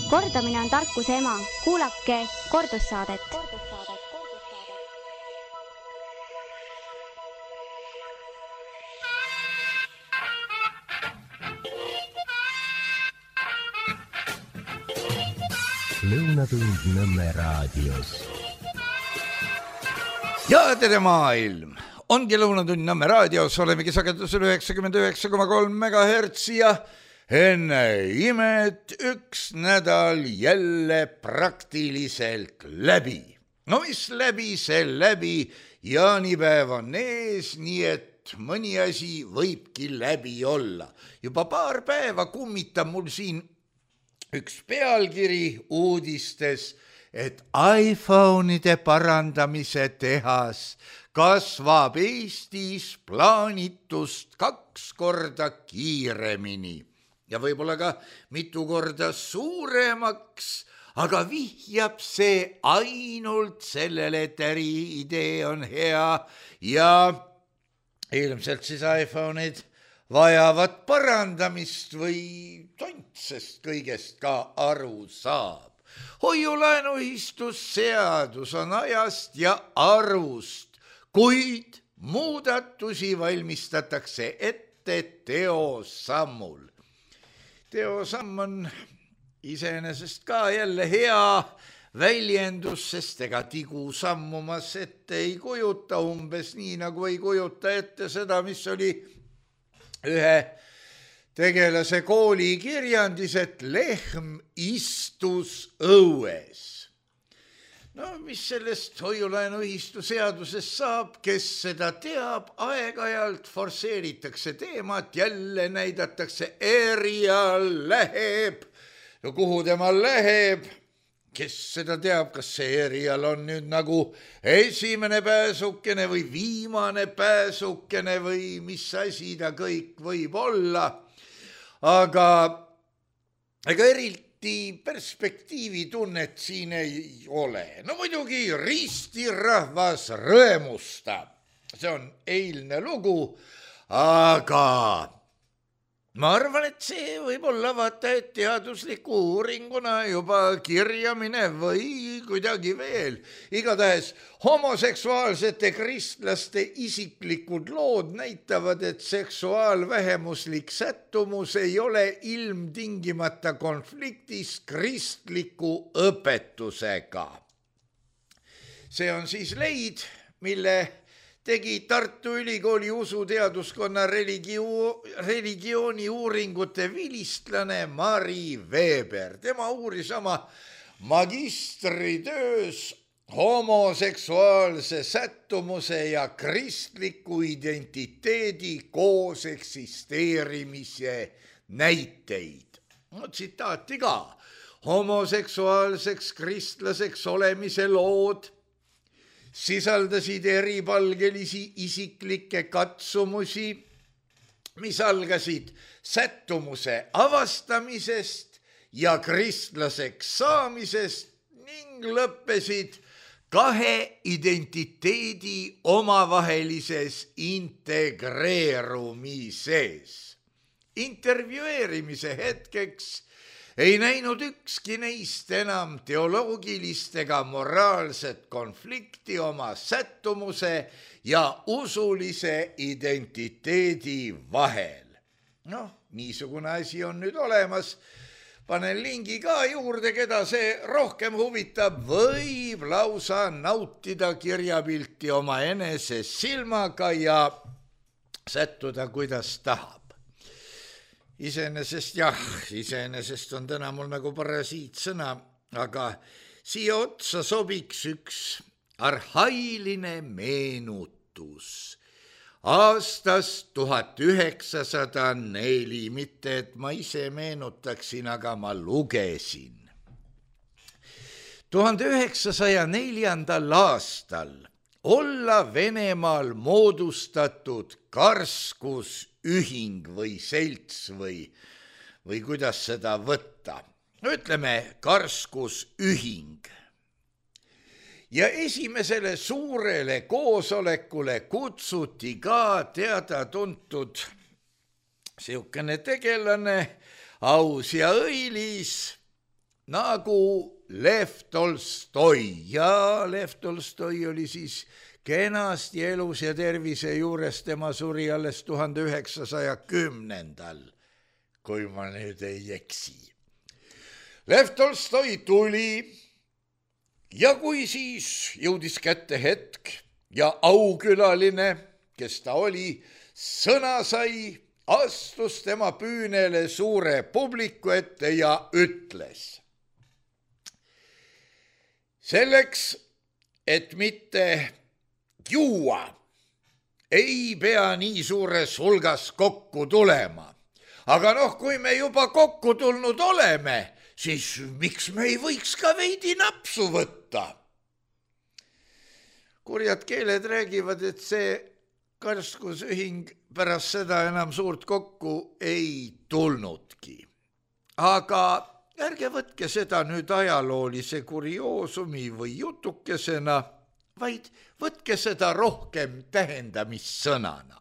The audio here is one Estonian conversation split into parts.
Kordamine on tarkuse ema. Kuulake kordussaadet. Lõunatund Nõmme raadios. Ja tere maailm! Ongi Lõunatund Nõmme raadios, olemegi sagedusel 99,3 MHz ja enne imet üks nädal jälle praktiliselt läbi. No mis läbi, see läbi, jaanipäev on ees, nii et mõni asi võibki läbi olla. Juba paar päeva kummitab mul siin üks pealkiri uudistes, et iPhone'ide parandamise tehas kasvab Eestis plaanitust 2 korda kiiremini ja võib-olla ka mitu korda suuremaks, aga vihjab see ainult sellele, et äriidee on hea ja ilmselt siis iPhone'id vajavad parandamist või tontsest kõigest ka aru saab. Hoiulaenuühistusseadus on ajast ja arust, kuid muudatusi valmistatakse ette teosammul. Teosamm on iseenesest ka jälle hea väljendus, sest ega tigu sammumas ette ei kujuta, umbes nii nagu ei kujuta ette seda, mis oli ühe tegelase kooli kirjandis, et lehm istus õues. No mis sellest hoiulaenuühistu seadusest saab, kes seda teab, aeg-ajalt forsseeritakse teemat, jälle näidatakse erial läheb. No kuhu tema läheb? Kes seda teab, kas see erial on nüüd nagu esimene pääsukene või viimane pääsukene või mis asi ta kõik võib olla. Aga ega eriti perspektiivitunnet siin ei ole. No muidugi ristirahvas rõõmustab. See on eilne lugu, aga ma arvan, et see võib olla vaata, et teadusliku uuringuna juba kirjamine või kuidagi veel. Igatahes homoseksuaalsete kristlaste isiklikud lood näitavad, et seksuaalvähemuslik sättumus ei ole ilmtingimata konfliktis kristliku õpetusega. See on siis leid, mille tegi Tartu Ülikooli usuteaduskonna religiooni uuringute vilistlane Mari Veber. Tema uuris oma magistritöös homoseksuaalse sättumuse ja kristliku identiteedi koos eksisteerimise näiteid. No tsitaati ka. Homoseksuaalseks kristlaseks olemise lood sisaldasid eripalgelisi isiklikke katsumusi, mis algasid sättumuse avastamisest ja kristlaseks saamisest ning lõppesid 2 identiteedi omavahelises integreerumises. Intervjueerimise hetkeks ei näinud ükski neist enam teoloogilist ega moraalset konflikti oma sättumuse ja usulise identiteedi vahel. Noh, niisugune asi on nüüd olemas. Panen lingi ka juurde, keda see rohkem huvitab, võib lausa nautida kirjapilti oma enese silmaga ja sättuda, kuidas tahab. Iseenesest on täna mul nagu parasiitsõna, aga siia otsa sobiks üks arhailine meenutus. Aastast 1904, mitte et ma ise meenutaksin, aga ma lugesin. 1904. aastal olla Venemaal moodustatud karskusühing või selts või kuidas seda võtta. Ütleme karskusühing. Ja esimesele suurele koosolekule kutsuti ka teada-tuntud siukene tegelane, aus ja õilis, nagu Lev Tolstoi ja Lev Tolstoi oli siis kenasti elus ja tervise juures, tema suri alles 1910. kui ma nüüd ei eksi. Lev Tolstoi tuli ja kui siis jõudis kätte hetk ja aukülaline, kes ta oli, sõna sai, astus tema püünele suure publiku ette ja ütles. Selleks, et mitte juua, ei pea nii suures hulgas kokku tulema. Aga kui me juba kokku tulnud oleme, siis miks me ei võiks ka veidi napsu võtta? Kurjad keeled räägivad, et see karskusühing pärast seda enam suurt kokku ei tulnudki. Aga ärge võtke seda nüüd ajaloolise kurioosumi või jutukesena, vaid võtke seda rohkem tähendamissõnana.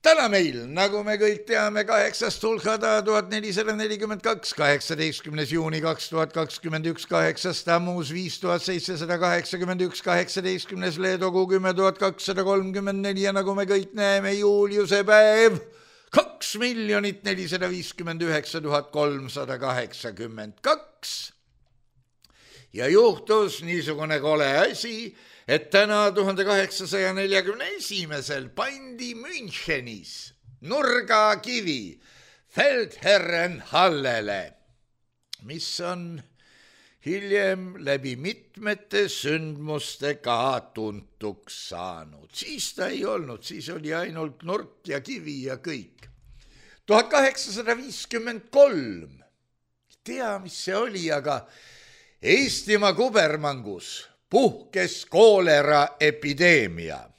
Täna meil, nagu me kõik teame, 8. hulgada 1442, 18. juuni 2021, 8. tammus 5781, 18. leedogu 10.234 ja nagu me kõik näeme, Juliuse päev 2,059,382. Ja juhtus niisugune kole asi, et täna 1841. pandi Münchenis nurgakivi Feldherrenhallele, mis on hiljem läbi mitmete sündmuste ka tuntuks saanud. Siis ta ei olnud, siis oli ainult nurk ja kivi ja kõik. 1853, tea mis see oli, aga Eestimaa kubermangus puhkes koolera epideemia.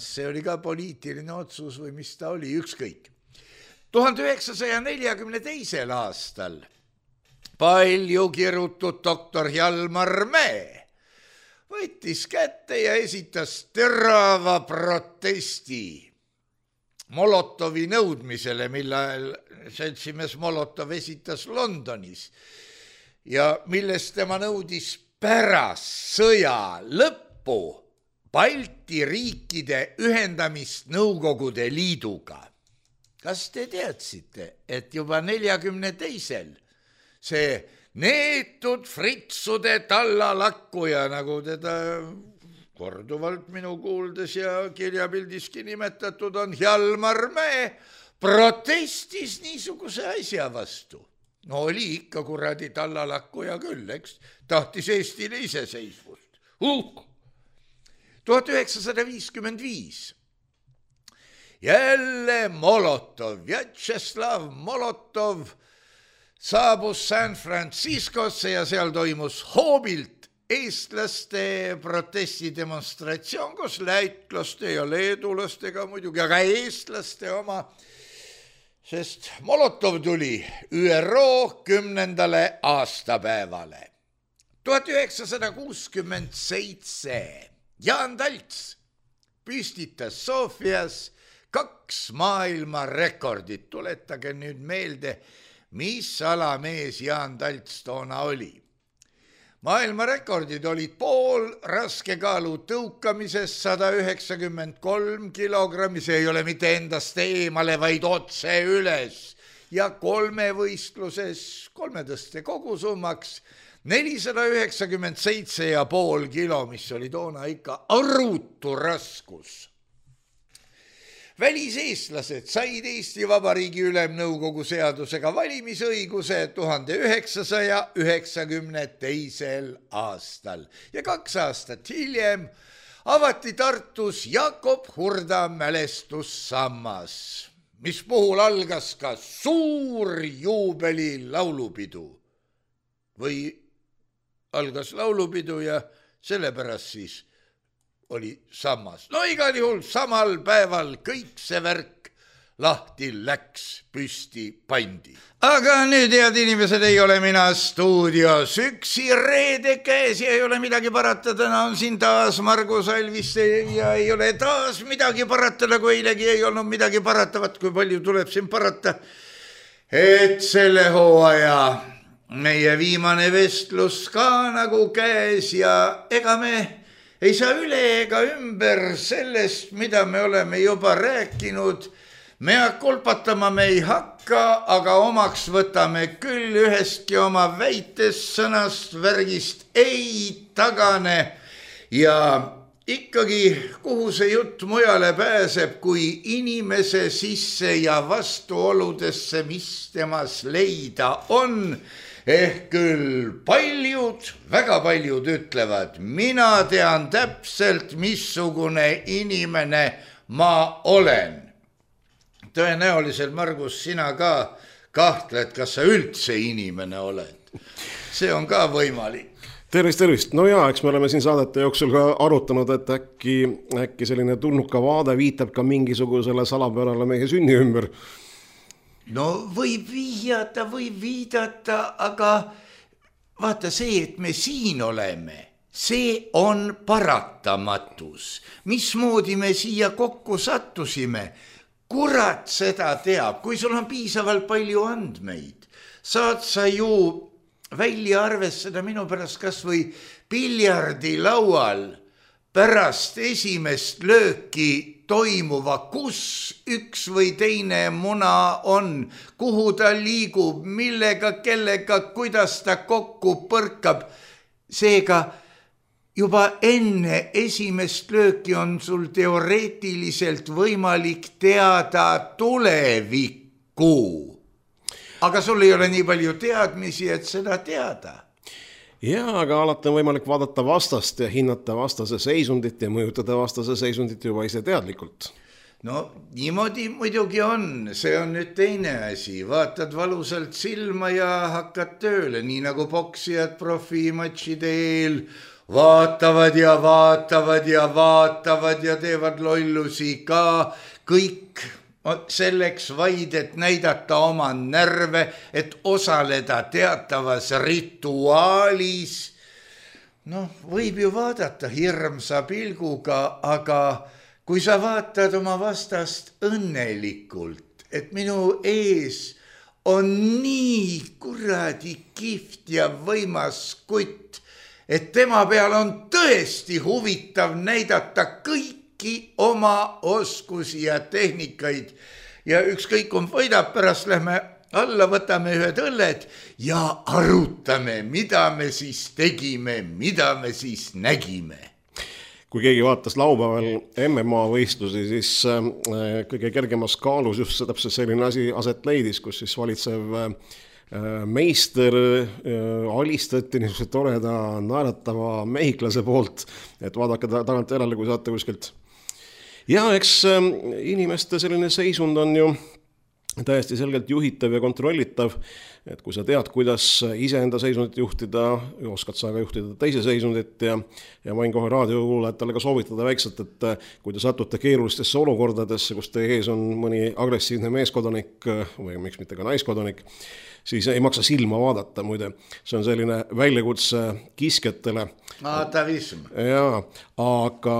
See oli ka poliitiline otsus või mis ta oli, ükskõik. 1942. aastal palju kirutud doktor Hjalmar Mäe võttis kätte ja esitas terava protesti Molotovi nõudmisele, millal seltsimees Molotov esitas Londonis ja millest tema nõudis pärast sõja lõppu Balti riikide ühendamist Nõukogude Liiduga. Kas te teadsite, et juba 42. see neetud fritsude tallalakkuja, nagu teda korduvalt minu kuuldes ja kirjapildiski nimetatud on, Hjalmar Mäe, protestis niisuguse asja vastu. No oli ikka kuradi tallalakkuja küll, eks, tahtis Eestile iseseisvust. 1955. Jälle Molotov, Vjatšeslav Molotov saabus San Franciscosse ja seal toimus hoobilt eestlaste protestidemonstratsioon koos lätlaste ja leedulastega muidugi, aga eestlaste oma, sest Molotov tuli ÜRO 10. aastapäevale. 1967 Jaan Talts püstitas Sofias 2 maailmarekordit. Tuletage nüüd meelde, mis alamees Jaan Talts toona oli. Maailmarekordid olid pool raskekaalu tõukamises 193 kilogrammi, see ei ole mitte endast eemale, vaid otse üles, ja kolmevõistluses kolmetõste kogusummaks 497,5 kilo, mis oli toona ikka arutu raskus. Väliseestlased said Eesti Vabariigi Ülemnõukogu seadusega valimisõiguse 1992. aastal ja 2 aastat hiljem avati Tartus Jakob Hurda mälestussammas, mis puhul algas ka suur juubeli laulupidu või algas laulupidu ja sellepärast siis oli sammas. No igal juhul samal päeval kõik see värk lahti läks, püsti pandi. Aga nüüd, head inimesed, ei ole mina stuudios üksi reede käes ja ei ole midagi parata. Täna on siin taas Margus Alviste ja ei ole taas midagi parata, nagu eilegi ei olnud midagi paratavat, kui palju tuleb siin parata. Et selle hooaja meie viimane vestlus ka nagu käes ja ega me ei saa üle ega ümber sellest, mida me oleme juba rääkinud. Me kolpatama me ei hakka, aga omaks võtame küll ühestki oma väitest, sõnast, värgist ei tagane. Ja ikkagi, kuhu see jutt mujale pääseb, kui inimese sisse ja vastuoludesse, mis temas leida on. Ehk küll paljud, väga paljud ütlevad, mina tean täpselt, missugune inimene ma olen. Tõenäoliselt, Margus, sina ka kahtled, kas sa üldse inimene oled. See on ka võimalik. Tervist. No jaa, eks me oleme siin saadete jooksul ka arutanud, et äkki selline tulnuka vaade viitab ka mingisugusele salapärale meie sünni ümber. No võib vihjata, võib viidata, aga vaata see, et me siin oleme, see on paratamatus. Mismoodi me siia kokku sattusime? Kurat seda teab, kui sul on piisavalt palju andmeid. Saad sa ju välja arvestada minu pärast kas või piljardilaual pärast esimest lööki toimuva, kus üks või teine muna on, kuhu ta liigub, millega, kellega, kuidas ta kokku põrkab. Seega juba enne esimest lööki on sul teoreetiliselt võimalik teada tulevikku. Aga sul ei ole nii palju teadmisi, et seda teada. Jaa, aga alati on võimalik vaadata vastast ja hinnata vastase seisundit ja mõjutada vastase seisundit juba ise teadlikult. No niimoodi muidugi on, see on nüüd teine asi. Vaatad valusalt silma ja hakkad tööle, nii nagu poksijad profimatšide eel vaatavad ja teevad lollusi ka kõik. Selleks vaid, et näidata oma närve, et osaleda teatavas rituaalis. Noh, võib ju vaadata hirmsa pilguga, aga kui sa vaatad oma vastast õnnelikult, et minu ees on nii kuradi kihvt ja võimas kutt, et tema peal on tõesti huvitav näidata kõiki oma oskusi ja tehnikaid ja ükskõik on võidab, pärast lähme alla, võtame ühed õlled ja arutame, mida me siis tegime, mida me siis nägime. Kui keegi vaatas laupäeval MMA võistlusi, siis kõige kergemas kaalus just täpselt selline asi aset leidis, kus siis valitsev meister alistati niisuguse toreda naeratava mehiklase poolt, et vaadake tagant järele, kui saate kuskilt. Ja eks inimeste selline seisund on ju täiesti selgelt juhitav ja kontrollitav, et kui sa tead, kuidas iseenda seisundit juhtida, oskad sa ka juhtida teise seisundit ja võin kohe raadiokuulajatele ka soovitada väikselt, et kui te satute keerulistesse olukordadesse, kus teie ees on mõni agressiivne meeskodanik või miks mitte ka naiskodanik, siis ei maksa silma vaadata, muide. See on selline väljakutse kiskjatele. Atavism. Jaa, aga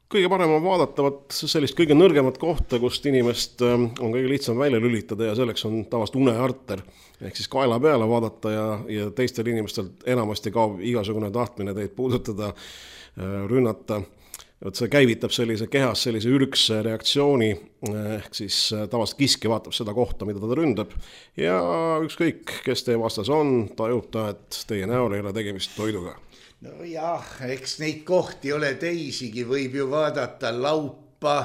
kõige parem on vaadata sellist kõige nõrgemat kohta, kust inimest on kõige lihtsam välja lülitada ja selleks on tavaliselt unearter. Ehk siis kaela peale vaadata ja teistel inimestel enamasti kaob igasugune tahtmine teid puudutada, rünnata. See käivitab sellise kehas sellise ürgse reaktsiooni, ehk siis tavaliselt kiske vaatab seda kohta, mida ta ründab ja ükskõik, kes teie vastas on, tajub ta, et teie näol ei ole tegemist toiduga. No jah, eks neid kohti ole teisigi, võib ju vaadata laupa,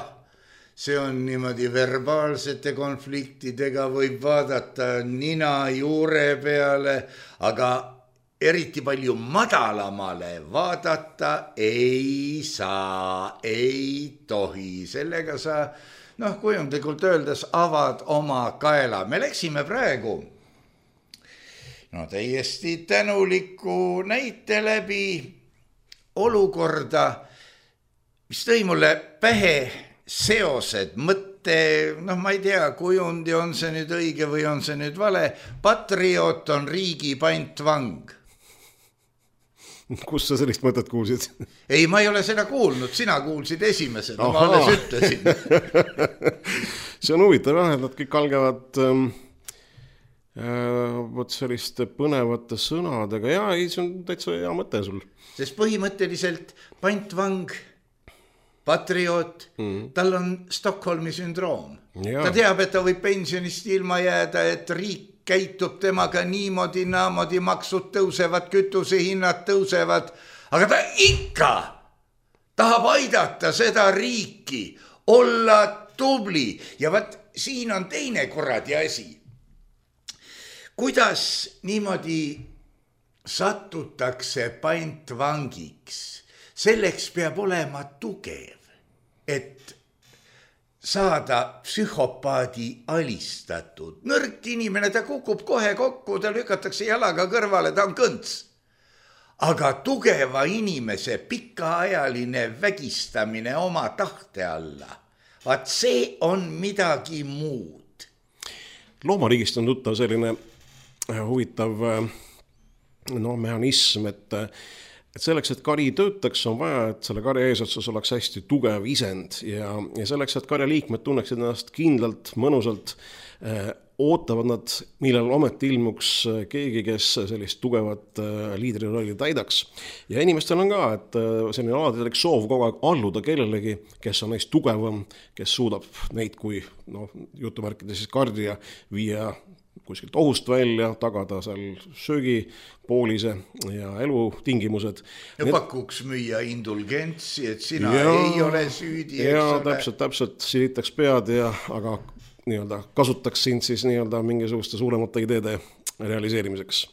see on niimoodi verbaalsete konfliktidega, võib vaadata nina juure peale, aga eriti palju madalamale vaadata ei saa, ei tohi. Sellega sa, kujundlikult öeldes, avad oma kaela. Me läksime praegu täiesti tänuliku näite läbi olukorda, mis tõi mulle pähe seosed, mõtte, ma ei tea, kujundi on see nüüd õige või on see nüüd vale. Patriot on riigi pantvang. Kus sa sellist mõtet kuulsid? Ei, ma ei ole seda kuulnud, sina kuulsid esimesena, ma alles ütlesin. See on huvitav, et nad kõik algavad Vot selliste põnevate sõnadega ja ei, see on täitsa hea mõte sul. Sest põhimõtteliselt pantvang, patrioot, tal on Stockholmi sündroom. Ta teab, et ta võib pensionist ilma jääda, et riik käitub temaga niimoodi, naamodi, maksud tõusevad, kütusehinnad tõusevad, aga ta ikka tahab aidata seda riiki, olla tubli ja vaat siin on teine kuradi asi. Kuidas niimoodi satutakse pantvangiks? Selleks peab olema tugev, et saada psühhopaadi alistatud. Nõrk inimene, ta kukub kohe kokku, ta lükatakse jalaga kõrvale, ta on kõnts. Aga tugeva inimese pikaajaline vägistamine oma tahte alla, vaat see on midagi muud. Loomariigist on tuttav selline huvitav mehhanism, et selleks, et kari töötaks, on vaja, et selle karja eesotsas oleks hästi tugev isend ja selleks, et karja liikmed tunneksid ennast kindlalt, mõnusalt, ootavad nad, millal ometi ilmuks keegi, kes sellist tugevat liidrirolli täidaks. Ja inimestel on ka, et selline alatelik soov kogu aeg alluda kellelegi, kes on neist tugevam, kes suudab neid kui jutumärkides siis kardja viia kuskilt ohust välja, tagada seal söögipoolise ja elutingimused. Ja pakuks müüa indulgentsi, et sina ei ole süüdi. Ja täpselt silitaks pead, aga kasutaks sind siis mingisuguste suuremate ideede realiseerimiseks.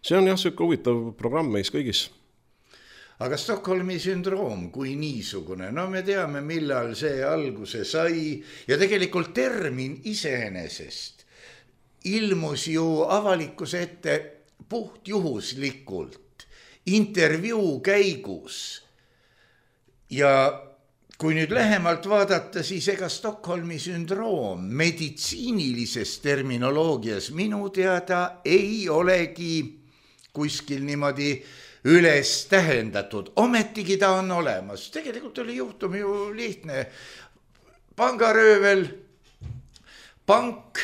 See on sööke huvitav programm meis kõigis. Aga Stockholmi sündroom kui niisugune, me teame, millal see alguse sai ja tegelikult termin iseenesest ilmus ju avalikkuse ette puhtjuhuslikult intervjuu käigus. Ja kui nüüd lähemalt vaadata, siis ega Stockholmi sündroom meditsiinilises terminoloogias minu teada ei olegi kuskil niimoodi üles tähendatud. Ometigi ta on olemas. Tegelikult oli juhtum ju lihtne. Pangaröövel, pank,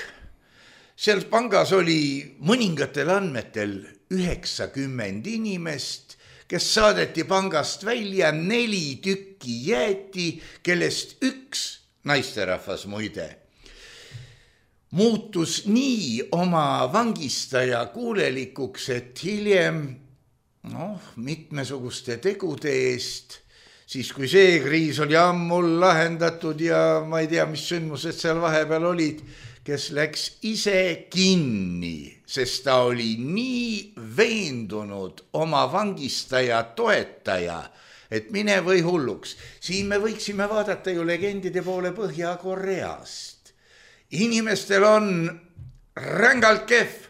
seal pangas oli mõningatel andmetel 90 inimest, kes saadeti pangast välja, 4 tükki jäeti, kellest 1 naisterahvas muide muutus nii oma vangistaja kuulelikuks, et hiljem mitmesuguste tegude eest, siis kui see kriis oli ammul lahendatud ja ma ei tea, mis sündmused seal vahepeal olid, kes läks ise kinni, sest ta oli nii veendunud oma vangistaja toetaja, et mine või hulluks. Siin me võiksime vaadata ju legendide poole Põhja-Koreast. Inimestel on rängalt kehv,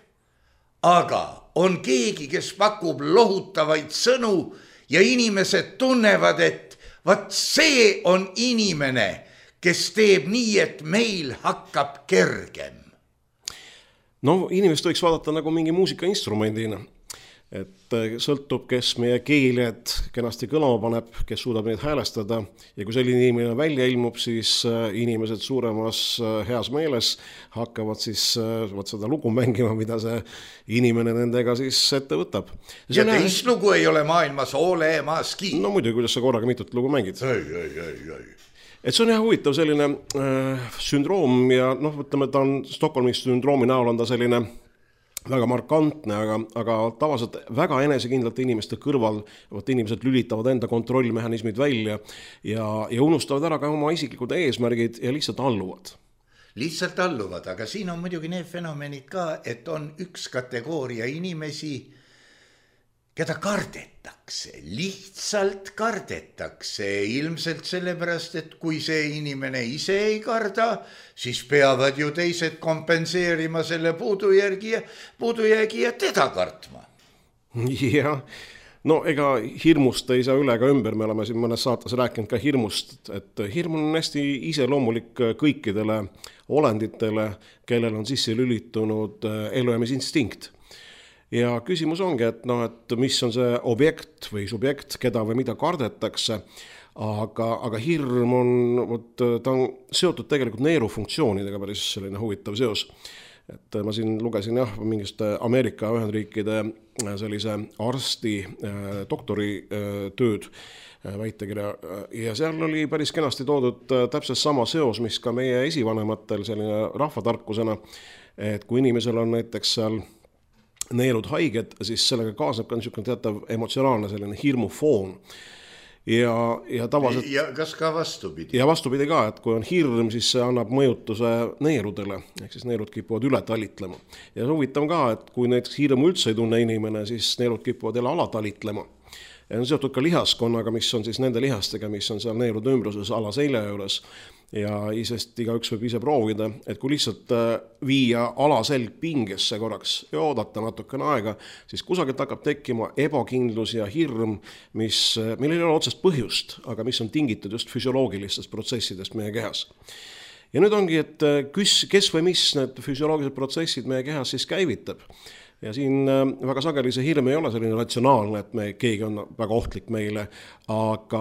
aga on keegi, kes pakub lohutavaid sõnu ja inimesed tunnevad, et vaat see on inimene, kes teeb nii, et meil hakkab kergem. Inimest võiks vaadata nagu mingi muusikainstrumendina. Et sõltub, kes meie keeled kenasti kõlama paneb, kes suudab neid häälestada. Ja kui selline inimene välja ilmub, siis inimesed suuremas heas meeles hakkavad siis seda lugu mängima, mida see inimene nendega siis ette võtab. Ja teist lugu ei ole maailmas olemaski. Muidugi, kuidas sa korraga mitut lugu mängid. Ei. Et see on huvitav selline sündroom ja võtleme, ta on Stockholmi sündroomi näol on ta selline väga markantne, aga tavaliselt väga enesekindlalt inimeste kõrval, inimesed lülitavad enda kontrollmehhanismid välja ja unustavad ära ka oma isiklikud eesmärgid ja lihtsalt alluvad. Lihtsalt alluvad, aga siin on muidugi need fenomenid ka, et on üks kategooria inimesi, keda kardetakse, lihtsalt kardetakse, ilmselt sellepärast, et kui see inimene ise ei karda, siis peavad ju teised kompenseerima selle puudujäägi ja teda kartma. Jah, ega hirmust ei saa üle ka ümber, me oleme siin mõnes saates rääkinud ka hirmust, et hirm on hästi iseloomulik kõikidele olenditele, kellel on sisse lülitunud elujäämisinstinkt. Ja küsimus ongi, et mis on see objekt või subjekt, keda või mida kardetakse, aga hirm on, ta on seotud tegelikult neerufunktsioonidega, päris selline huvitav seos. et ma siin lugesin mingist Ameerika Ühendriikide sellise arsti doktori tööd, väitekirja, ja seal oli päris kenasti toodud täpselt sama seos, mis ka meie esivanematel selline rahvatarkusena, et kui inimesel on näiteks seal neelud haiged, siis sellega kaasneb ka niisugune teatav emotsionaalne selline hirmufoon. Ja tavaliselt... Ja kas ka vastupidi? Ja vastupidi ka, et kui on hirm, siis see annab mõjutuse neeludele, ehk siis neelud kipuvad üle talitlema. Ja huvitav ka, et kui näiteks hirmu üldse ei tunne inimene, siis neelud kipuvad jälle ala talitlema. Ja on seotud ka lihaskonnaga, mis on siis nende lihastega, mis on seal neelude ümbruses ala selja juures. Ja isest igaüks võib ise proovida, et kui lihtsalt viia alaselg pingesse korraks ja oodata natukene aega, siis kusagilt hakkab tekkima ebakindlus ja hirm, millel ei ole otsest põhjust, aga mis on tingitud just füsioloogilistest protsessidest meie kehas. Ja nüüd ongi, et kes või mis need füsioloogilised protsessid meie kehas siis käivitab. Ja siin väga sageli see hirm ei ole selline ratsionaalne, et keegi on väga ohtlik meile, aga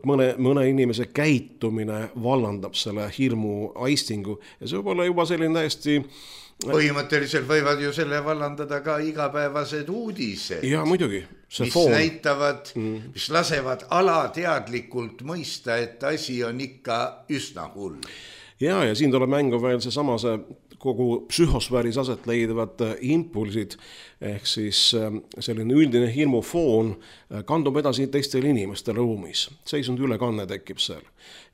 mõne inimese käitumine vallandab selle hirmu aistingu ja see võib olla juba selline täiesti... Põhimõtteliselt võivad ju selle vallandada ka igapäevased uudised. Ja muidugi. Mis näitavad, mis lasevad alateadlikult mõista, et asi on ikka üsna hull. Ja siin tuleb mängu veel see kogu psühhosfääris aset leidevad impulsid, ehk siis selline üldine hirmufoon kandub edasi teistele inimestele ruumis. Seisund ülekanne tekib seal.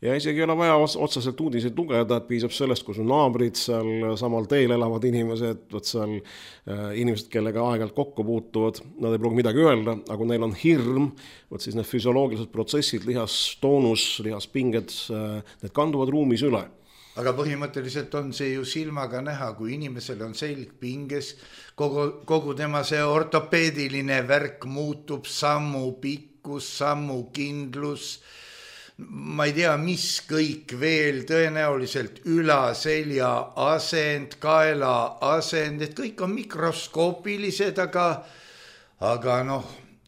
Ja isegi ei ole vaja otseselt uudiseid lugeda, et piisab sellest, kui su naabrid seal samal teel elavad inimesed, seal inimesed, kellega aeg-ajalt kokku puutuvad, nad ei pruugi midagi öelda, aga kui neil on hirm, siis need füsioloogilised protsessid, lihastoonus, lihaspinged, need kanduvad ruumis üle. Aga põhimõtteliselt on see ju silmaga näha, kui inimesel on selg pinges, kogu tema see ortopeediline värk muutub, sammu pikkus, sammu kindlus, ma ei tea, mis kõik veel, tõenäoliselt ülaselja asend, kaela asend, et kõik on mikroskoopilised, aga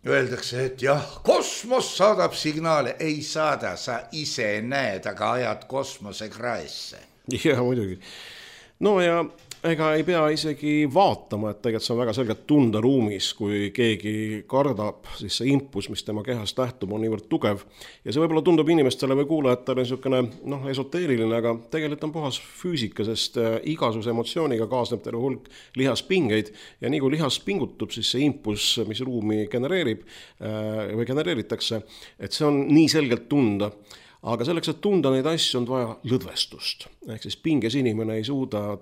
öeldakse, et jah, kosmos saadab signaale, ei saada, sa ise näed, aga ajad kosmose kraesse. Ja muidugi. No ja ega ei pea isegi vaatama, et tegelikult see on väga selgelt tunda ruumis, kui keegi kardab, siis see impus, mis tema kehast lähtub, on niivõrd tugev. Ja see võib-olla tundub inimestele või kuulajatele niisugune esoteeriline, aga tegelikult on puhas füüsika, sest igasuguse emotsiooniga kaasneb terve hulk lihaspingeid ja nii kui lihas pingutub, siis see impus, mis ruumi genereerib või genereeritakse, et see on nii selgelt tunda. Aga selleks, et tunda neid asju, on vaja lõdvestust. Ehk siis pinges inimene ei suuda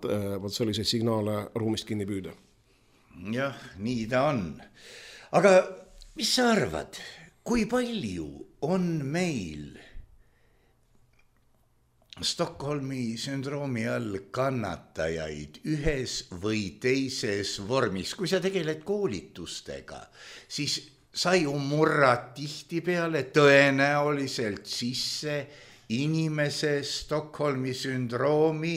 selliseid signaale ruumist kinni püüda. Jah, nii ta on. Aga mis sa arvad, kui palju on meil Stockholmi sündroomi all kannatajaid ühes või teises vormis? Kui sa tegeled koolitustega, siis sa ju murrad tihtipeale tõenäoliselt sisse inimese Stockholmi sündroomi,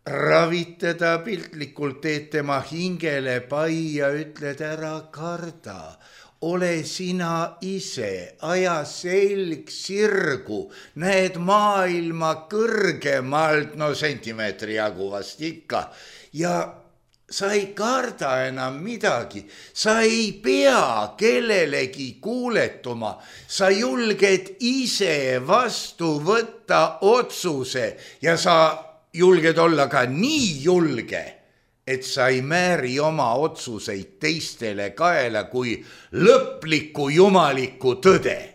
ravitada piltlikult, teed tema hingele pai ja ütled ära karda. Ole sina ise, aja selg sirgu, näed maailma kõrgemalt, sentimeetri jagu vast ikka ja sa ei karda enam midagi, sa ei pea kellelegi kuuletuma, sa julged ise vastu võtta otsuse ja sa julged olla ka nii julge, et sa ei määri oma otsuseid teistele kaela kui lõpliku jumaliku tõde.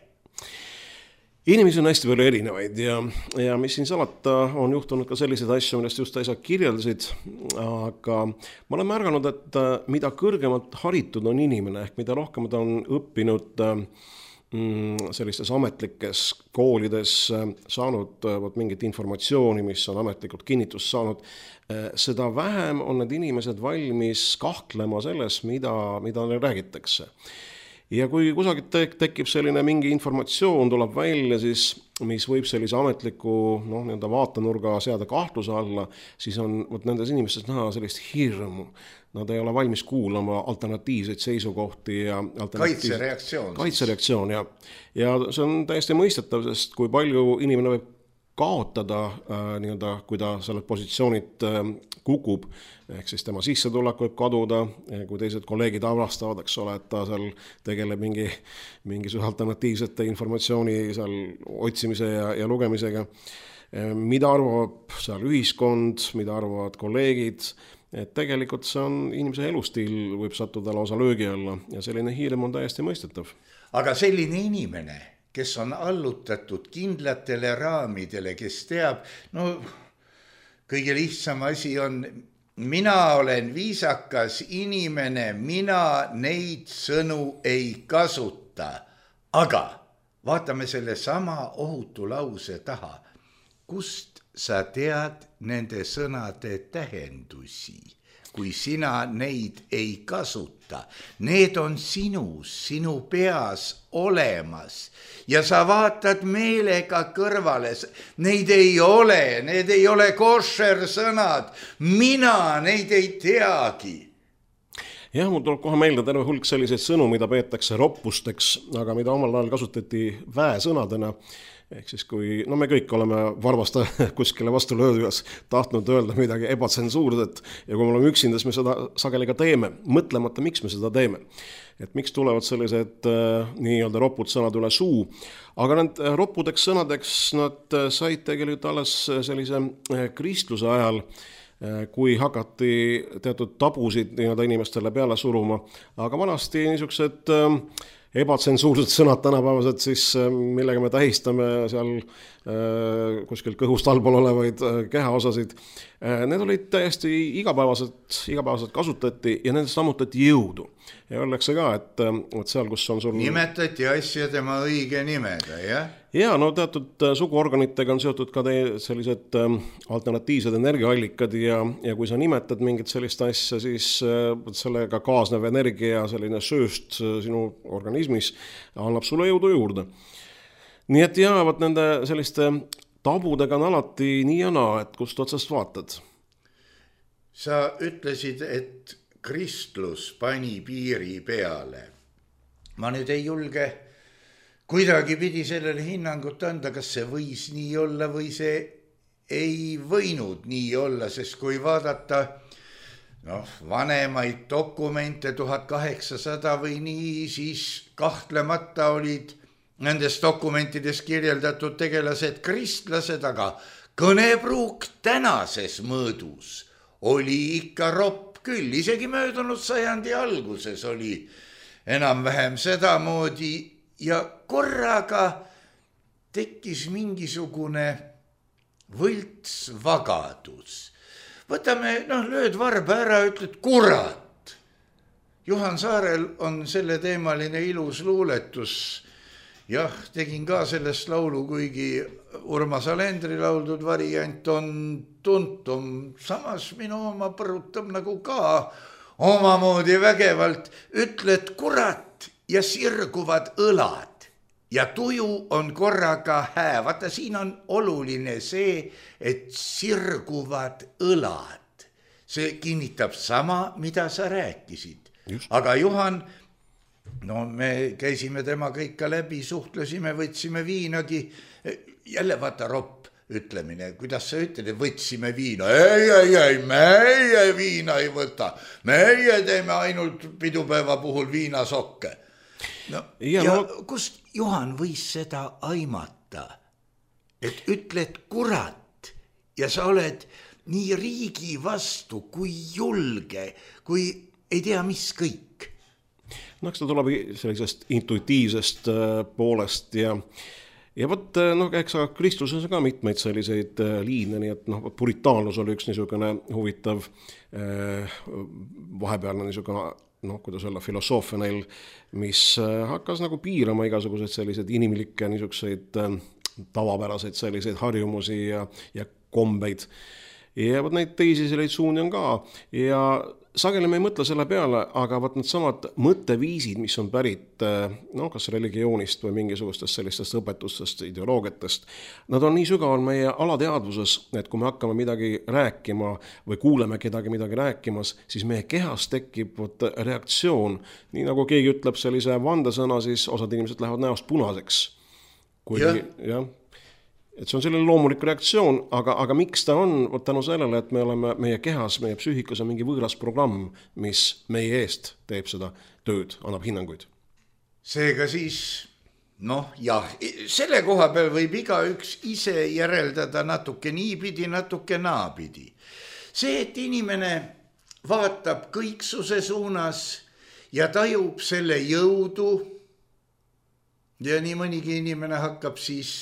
Inimesi on hästi palju erinevaid ja mis siin salata on juhtunud ka selliseid asju, millest just äsja kirjeldasid, aga ma olen märganud, et mida kõrgemalt haritud on inimene, ehk mida rohkem ta on õppinud sellistes ametlikes koolides, saanud mingit informatsiooni, mis on ametlikult kinnitust saanud, seda vähem on need inimesed valmis kahtlema selles, mida neile räägitakse. Ja kui kusagil tekib selline mingi informatsioon, tuleb välja, siis, mis võib sellise ametliku vaatenurga seada kahtluse alla, siis on nendes inimestes näha sellist hirmu. Nad ei ole valmis kuulama alternatiivseid seisukohti ja kaitsereaktsioon. Kaitsereaktsioon, ja see on täiesti mõistetav, sest kui palju inimene võib kaotada, kui ta selle positsioonid kukub, ehk siis tema sissetulek võib kaduda, kui teised kolleegid avastavad, eks ole, et ta seal tegeleb mingisuguse alternatiivsete informatsiooni seal otsimise ja lugemisega. Mida arvab seal ühiskond, mida arvavad kolleegid, et tegelikult see on inimese elustiil võib sattuda lausa löögi alla ja selline hirm on täiesti mõistetav. Aga selline inimene, kes on allutatud kindlatele raamidele, kes teab, kõige lihtsam asi on, mina olen viisakas inimene, mina neid sõnu ei kasuta. Aga vaatame selle sama ohutu lause taha. Kust sa tead nende sõnade tähendusi, kui sina neid ei kasuta? Need on sinu peas olemas ja sa vaatad meelega kõrvale. Neid ei ole košer sõnad. Mina neid ei teagi. Jah, mul tuleb kohe meelde terve hulk selliseid sõnu, mida peetakse roppusteks, aga mida omal ajal kasutati väesõnadena. Ehk siis kui, me kõik oleme varvast kuskile vastu löödujas tahtnud öelda midagi ebatsensuurset ja kui me oleme üksinda, siis me seda sageli ka teeme, mõtlemata, miks me seda teeme. Et miks tulevad sellised nii-öelda ropud sõnad üle suu. Aga need roppudeks sõnadeks nad said tegelikult alles sellise kristluse ajal, kui hakati teatud tabusid nii-öelda inimestele peale suruma. Aga vanasti niisugused ebatsensuursed sõnad tänapäevased siis, millega me tähistame seal kuskil kõhust allpool olevaid kehaosasid. Need olid täiesti igapäevaselt kasutati ja nendest sammutati jõudu. Ja öeldakse ka, et seal, kus on sul... Nimetati asja tema õige nimega, jah? Ja, teatud suguorganitega on seotud ka sellised alternatiivsed energiaallikad ja kui sa nimetad mingit sellist asja, siis sellega kaasnev energia, selline sööst sinu organismis annab sulle jõudu juurde. Nii et jäävad nende selliste tabudega on alati nii ja naa, et kust otsast vaatad. Sa ütlesid, et kristlus pani piiri peale. Ma nüüd ei julge kuidagi pidi sellele hinnangut anda, kas see võis nii olla või see ei võinud nii olla, sest kui vaadata vanemaid dokumente 1800 või nii, siis kahtlemata olid nendes dokumentides kirjeldatud tegelased kristlased, aga kõnepruuk tänases mõõdus oli ikka ropp küll. Isegi möödunud sajandi alguses oli enam-vähem sedamoodi ja korraga tekkis mingisugune võltsvagadus. Võtame, lööd varba ära, ütled kurat. Juhan Saarel on selle teemaline ilus luuletus. Jah, tegin ka sellest laulu, kuigi Urmas Alendri lauldud variant on tuntum. Samas minu oma põrutab nagu ka omamoodi vägevalt. Ütled kurat ja sirguvad õlad ja tuju on korraga hää. Vaata, siin on oluline see, et sirguvad õlad. See kinnitab sama, mida sa rääkisid. Just. Aga Juhan... me käisime temaga ikka läbi, suhtlesime, võtsime viinagi. Jälle vaata ropp ütlemine, kuidas sa ütled, võtsime viina. Ei, meie viina ei võta. Meie teeme ainult pidupäeva puhul viinasokke. Kust Juhan võis seda aimata, et ütled kurat ja sa oled nii riigi vastu, kui julge, kui ei tea mis kõik. Eks ta tuleb sellisest intuitiivsest poolest ja võt, eks kristluses ka mitmeid selliseid liine, nii et puritaanlus oli üks niisugune huvitav vahepealne niisugune, kuidas öelda, filosoofia neil, mis hakkas nagu piirama igasuguseid selliseid inimlikke niisuguseid tavapäraseid selliseid harjumusi ja kombeid. Ja võt neid teisi selliseid suuni on ka ja sageli me ei mõtle selle peale, aga võt need samad mõtteviisid, mis on pärit kas religioonist või mingisugustest sellistest õpetustest, ideoloogiatest, nad on nii sügaval meie alateadvuses, et kui me hakkame midagi rääkima või kuuleme kedagi midagi rääkimas, siis meie kehas tekib reaktsioon. Nii nagu keegi ütleb sellise vandesõna, siis osad inimesed lähevad näost punaseks. et see on selline loomulik reaktsioon, aga miks ta on? Tänu sellele, et me oleme meie kehas, meie psüühikas on mingi võõras programm, mis meie eest teeb seda tööd, annab hinnanguid. Seega siis, jah, selle koha peal võib igaüks ise järeldada natuke niipidi, natuke naapidi. See, et inimene vaatab kõiksuse suunas ja tajub selle jõudu ja nii mõnigi inimene hakkab siis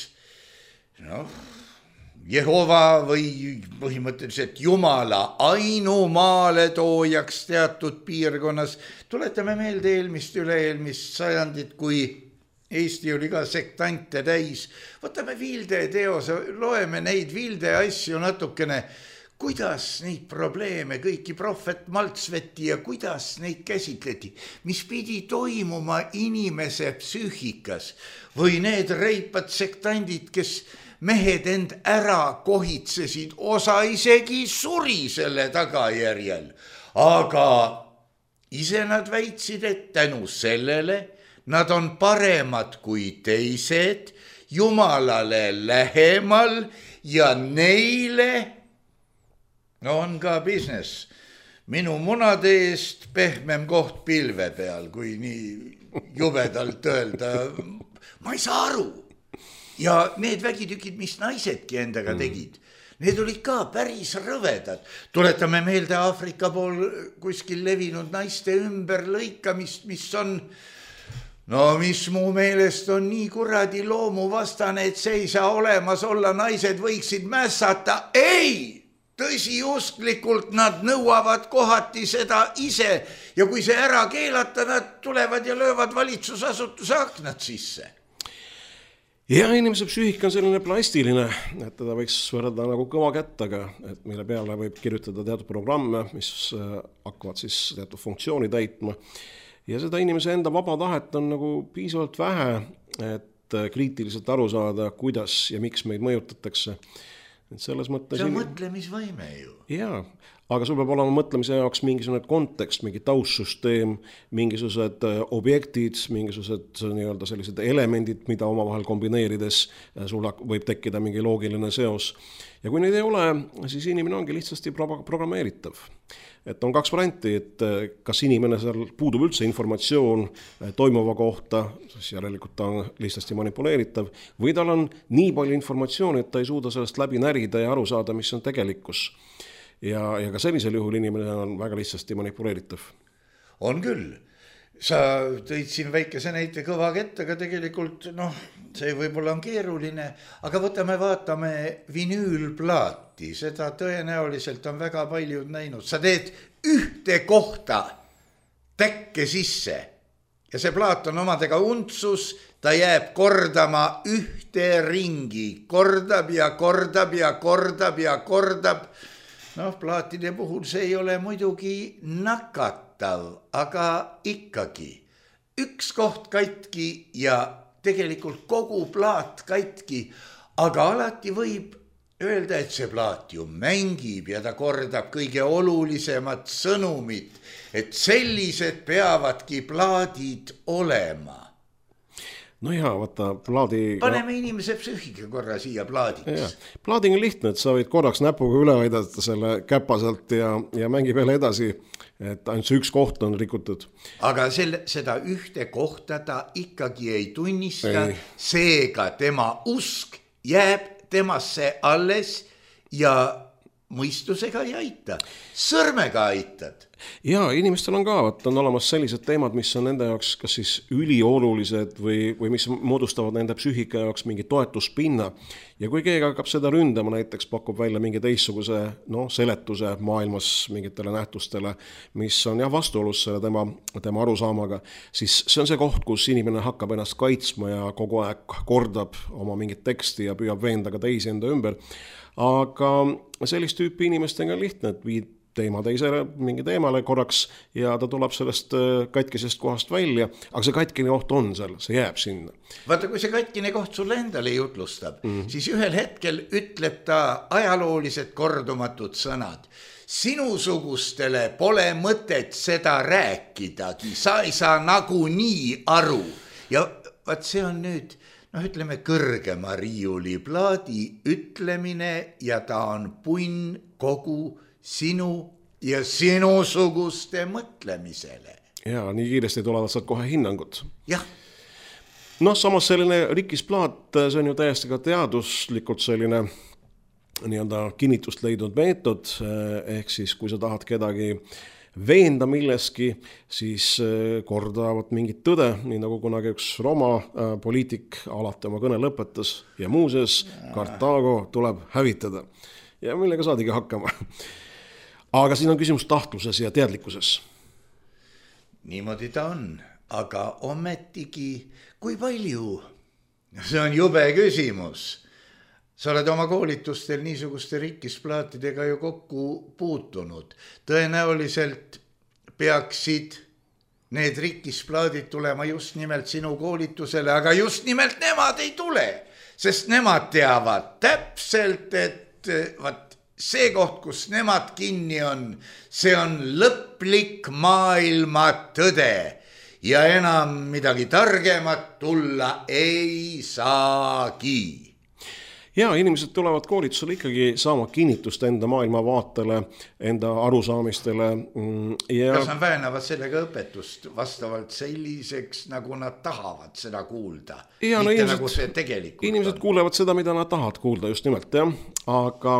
Jehova või põhimõtteliselt Jumala ainumaale toojaks teatud piirkonnas. Tuletame meelde üle-eelmist sajandit, kui Eesti oli ka sektante täis. Võtame Vilde teose, loeme neid Vilde asju natukene, kuidas neid probleeme, kõiki prohvet Maltsveti ja kuidas neid käsitleti, mis pidi toimuma inimese psüühikas või need reipad sektandid, kes mehed end ära kohitsesid, osa isegi suri selle tagajärjel, aga ise nad väitsid, et tänu sellele nad on paremad kui teised, Jumalale lähemal ja neile on ka business. Minu munade eest pehmem koht pilve peal, kui nii jubedalt öelda. Ma ei saa aru. Ja need vägitükid, mis naisedki endaga tegid, need olid ka päris rõvedad. Tuletame meelde Aafrika pool kuskil levinud naiste ümberlõikamist, mis on, mis mu meelest on nii kuradi loomuvastane, et see ei saa olemas olla, naised võiksid mässata. Ei! Tõsiusklikult nad nõuavad kohati seda ise ja kui see ära keelata, nad tulevad ja löövad valitsusasutuse aknad sisse. Ja inimese psüühika on selline plastiline, et teda võiks võrrelda nagu kõva kättaga, et mille peale võib kirjutada teatud programme, mis hakkavad siis teatud funktsiooni täitma. Ja seda inimese enda vaba tahet on nagu piisavalt vähe, et kriitiliselt aru saada, kuidas ja miks meid mõjutatakse. Et selles mõttes... See on mõtlemisvõime ju. Jaa, aga sul peab olema mõtlemise jaoks mingisugune kontekst, mingi taustsüsteem, mingisugused objektid, mingisugused nii-öelda sellised elemendid, mida omavahel kombineerides sul võib tekkida mingi loogiline seos. Ja kui neid ei ole, siis inimene ongi lihtsasti programmeeritav. Et on kaks varianti, et kas inimene seal puudub üldse informatsioon toimuva kohta, siis järelikult ta on lihtsasti manipuleeritav, või tal on nii palju informatsiooni, et ta ei suuda sellest läbi närida ja aru saada, mis on tegelikkus. Ja ka sellisel juhul inimene on väga lihtsasti manipuleeritav. On küll. Sa tõid siin väikese näite kõva kätt, aga tegelikult see võib-olla on keeruline, aga vaatame vinüülplaati, seda tõenäoliselt on väga paljud näinud. Sa teed ühte kohta täkke sisse ja see plaat on omadega untsus, ta jääb kordama ühte ringi, kordab ja kordab ja kordab ja kordab. Plaatide puhul see ei ole muidugi nakatav, aga ikkagi üks koht katki ja tegelikult kogu plaat katki, aga alati võib öelda, et see plaat ju mängib ja ta kordab kõige olulisemat sõnumit, et sellised peavadki plaadid olema. No jaa, vaata plaadi... Paneme inimese psüühika korra siia plaadiks. Plaading on lihtne, et sa võid korraks näpuga üle aidata selle käpaselt ja mängi peale edasi, et ainult see üks koht on rikutud. Aga seda ühte kohta ta ikkagi ei tunnista, seega tema usk jääb temasse alles ja mõistusega ei aita, sõrmega aitad. Ja inimestel on ka, on olemas sellised teemad, mis on nende jaoks kas siis üliolulised või mis moodustavad nende psüühika jaoks mingi toetuspinna. Ja kui keegi hakkab seda ründama, näiteks pakub välja mingi teistsuguse seletuse maailmas mingitele nähtustele, mis on vastuolus selle tema arusaamaga, siis see on see koht, kus inimene hakkab ennast kaitsma ja kogu aeg kordab oma mingit teksti ja püüab veenda ka teisi enda ümber. Aga sellist tüüpi inimestega on lihtne, et viid teema teisele mingi teemale korraks ja ta tuleb sellest katkisest kohast välja, aga see katkine koht on seal, see jääb sinna. Vaata, kui see katkine koht sulle endale jutlustab, siis ühel hetkel ütleb ta ajaloolised kordumatud sõnad. Sinusugustele pole mõtet seda rääkidagi, sa ei saa nagunii aru. Ja vaat see on nüüd ütleme kõrgema riiuliplaadi ütlemine ja ta on punn kogu sinu ja sinusuguste mõtlemisele. Ja nii kiiresti tulevad sealt kohe hinnangud. Jah. Samas selline rikkisplaat, see on ju täiesti ka teaduslikult selline nii-öelda kinnitust leidnud meetod, ehk siis kui sa tahad kedagi veenda milleski, siis kordavad mingit tõde, nii nagu kunagi üks Rooma poliitik alati oma kõne lõpetas ja muuseas Kartaago tuleb hävitada. Ja millega saadigi hakkama. Aga siin on küsimus tahtluses ja teadlikkuses. Niimoodi ta on, aga ometigi, kui palju? See on jube küsimus. Sa oled oma koolitustel niisuguste rikkisplaatidega ju kokku puutunud. Tõenäoliselt peaksid need rikkisplaadid tulema just nimelt sinu koolitusele, aga just nimelt nemad ei tule, sest nemad teavad täpselt, et see koht, kus nemad kinni on, see on lõplik maailma tõde ja enam midagi targemat tulla ei saagi. Ja inimesed tulevad koolitusele ikkagi saama kinnitust enda maailmavaatele, enda arusaamistele. Ja kas nad väänavad sellega õpetust vastavalt selliseks, nagu nad tahavad seda kuulda? Ja, mitte inimesed, nagu see tegelikult inimesed on. Kuulevad seda, mida nad tahavad kuulda just nimelt, jah. Aga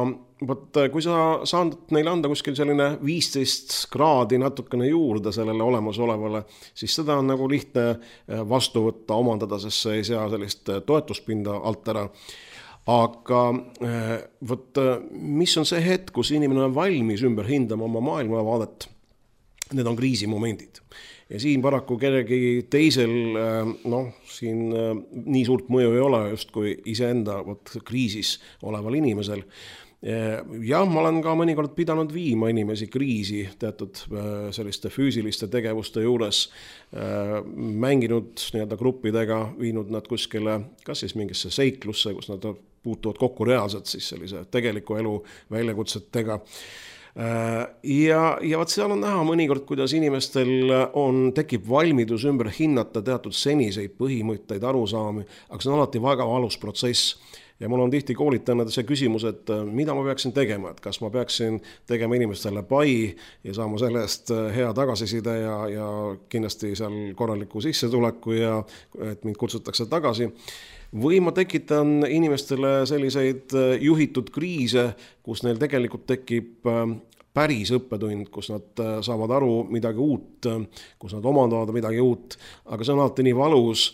kui sa saad neile anda kuskil selline 15 kraadi natukene juurde sellele olemasolevale, siis seda on nagu lihtne vastu võtta, omandada, sest see ei sea sellist toetuspinda alt ära. Aga mis on see hetk, kus inimene on valmis ümber hindama oma maailmavaadet? Need on kriisimomendid. Ja siin paraku kellegi teisel, siin nii suurt mõju ei ole just kui iseenda kriisis oleval inimesel. Ja ma olen ka mõnikord pidanud viima inimesi kriisi teatud selliste füüsiliste tegevuste juures, mänginud nii-öelda gruppidega, viinud nad kuskile, kas siis mingisse seiklusse, kus nad puutuvad kokku reaalselt siis sellise tegeliku elu väljakutsetega. Ja seal on näha mõnikord, kuidas inimestel tekib valmidus ümber hinnata teatud seniseid põhimõtteid arusaami, aga see on alati väga valus protsess. Ja mul on tihti koolitajana see küsimus, et mida ma peaksin tegema, et kas ma peaksin tegema inimestele pai ja saama selle eest hea tagasiside ja kindlasti seal korraliku sissetuleku ja et mind kutsutakse tagasi. Või ma tekitan inimestele selliseid juhitud kriise, kus neil tegelikult tekib päris õppetund, kus nad saavad aru midagi uut, kus nad omandavad midagi uut, aga see on alati nii valus,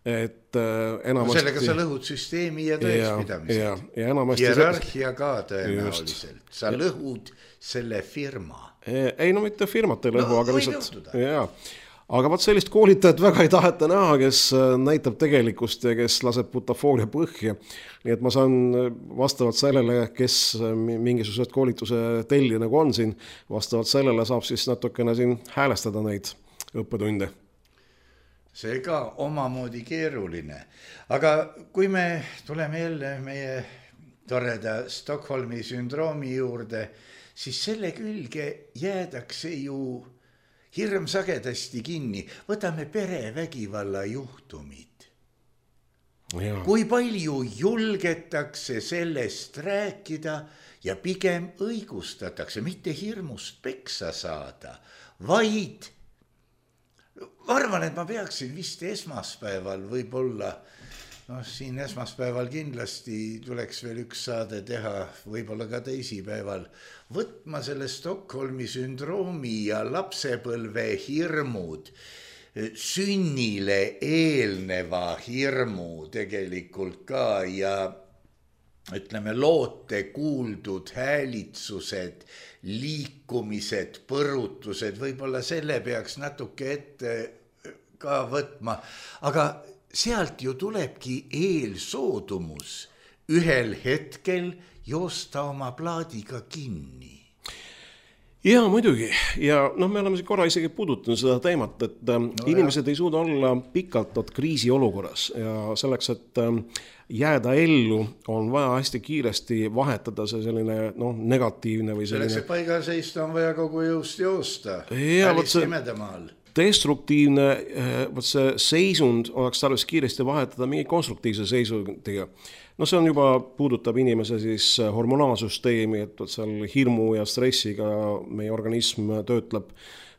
et enamasti... Sellega sa lõhud süsteemi ja tõekspidamised. Ja enamasti... Hierarhia ka tõenäoliselt. Sa lõhud selle firma. Ei, mitte firmat ei lõhu, aga lihtsalt... Aga sellist koolitajat väga ei taheta näha, kes näitab tegelikkust ja kes laseb butafooria põhja. Nii et ma saan vastavalt sellele, kes mingisugused koolituse tellija nagu on siin, vastavalt sellele saab siis natukene siin häälestada neid õppetunde. See ka omamoodi keeruline. Aga kui me tuleme jälle meie toreda Stockholmi sündroomi juurde, siis selle külge jäädakse ju hirm sagedasti kinni. Võtame perevägivalla juhtumid. Ja. Kui palju julgetakse sellest rääkida ja pigem õigustatakse, mitte hirmust peksa saada, vaid ma arvan, et ma peaksin vist esmaspäeval võib-olla, siin esmaspäeval kindlasti tuleks veel üks saade teha, võib-olla ka teisipäeval, võtma selle Stockholmi sündroomi ja lapsepõlve hirmud, sünnile eelneva hirmu tegelikult ka ja ütleme loote kuuldud häälitsused, liikumised, põrutused, võib-olla selle peaks natuke ette ka võtma, aga sealt ju tulebki eelsoodumus ühel hetkel joosta oma plaadiga kinni. Ja muidugi, ja me oleme korra isegi puudutanud seda teemat, et inimesed ei suuda olla pikalt kriisi olukorras ja selleks, et jääda ellu, on vaja hästi kiiresti vahetada see selline negatiivne või selline... Selleks, et paigal seista on vaja kogu jõust joosta. destruktiivne võt see seisund oleks tarvis kiiresti vahetada mingi konstruktiivse seisundiga. No see on juba puudutab inimese siis hormonaalsüsteemi, et seal hirmu ja stressiga meie organism töötleb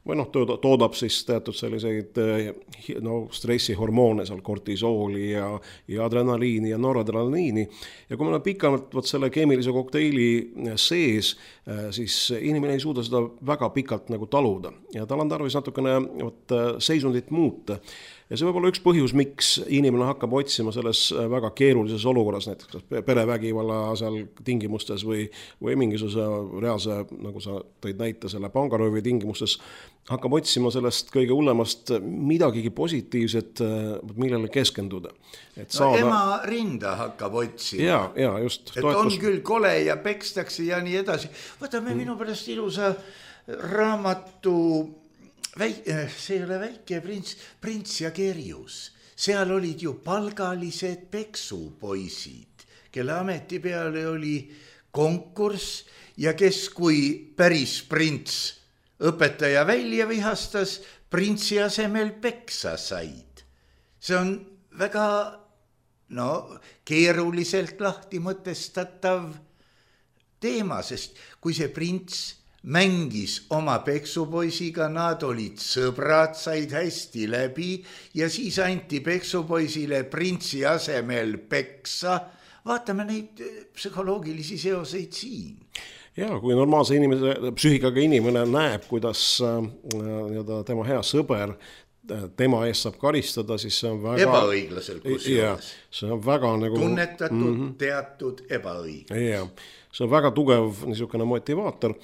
või toodab siis teatud selliseid stressihormoone, seal kortisooli ja adrenaliini ja noradrenaliini. Ja kui meil on pikalt selle keemilise kokteili sees, siis inimene ei suuda seda väga pikalt nagu taluda ja tal on tarvis natukene seisundit muuta. Ja see võib olla üks põhjus, miks inimene hakkab otsima selles väga keerulises olukorras, näiteks perevägivalla seal tingimustes või mingisuguse reaalse, nagu sa tõid näite selle pangaröövi tingimustes, hakkab otsima sellest kõige hullemast midagigi positiivset, millele keskenduda. Ema rinda hakkab otsima. Ja, just. Et on küll kole ja pekstakse ja nii edasi. Võtame minu pärast ilusa raamatu... see ei ole väike prints ja kerjus. Seal olid ju palgalised peksupoisid, kelle ameti peale oli konkurss ja kes kui päris prints õpetaja välja vihastas, printsi asemel peksa said. See on väga keeruliselt lahti mõtestatav teema, sest kui see prints mängis oma peksupoisiga, nad olid sõbrad, said hästi läbi ja siis anti peksupoisile printsi asemel peksa. Vaatame neid psühholoogilisi seoseid siin. Ja, kui normaalse psüühikaga inimene näeb, kuidas tema hea sõber tema eest saab karistada, siis see on väga... Ebaõiglaselt kusjuures. See on väga nagu... Tunnetatud teatud ebaõiglus. Ja, see on väga tugev niisugune motivaator.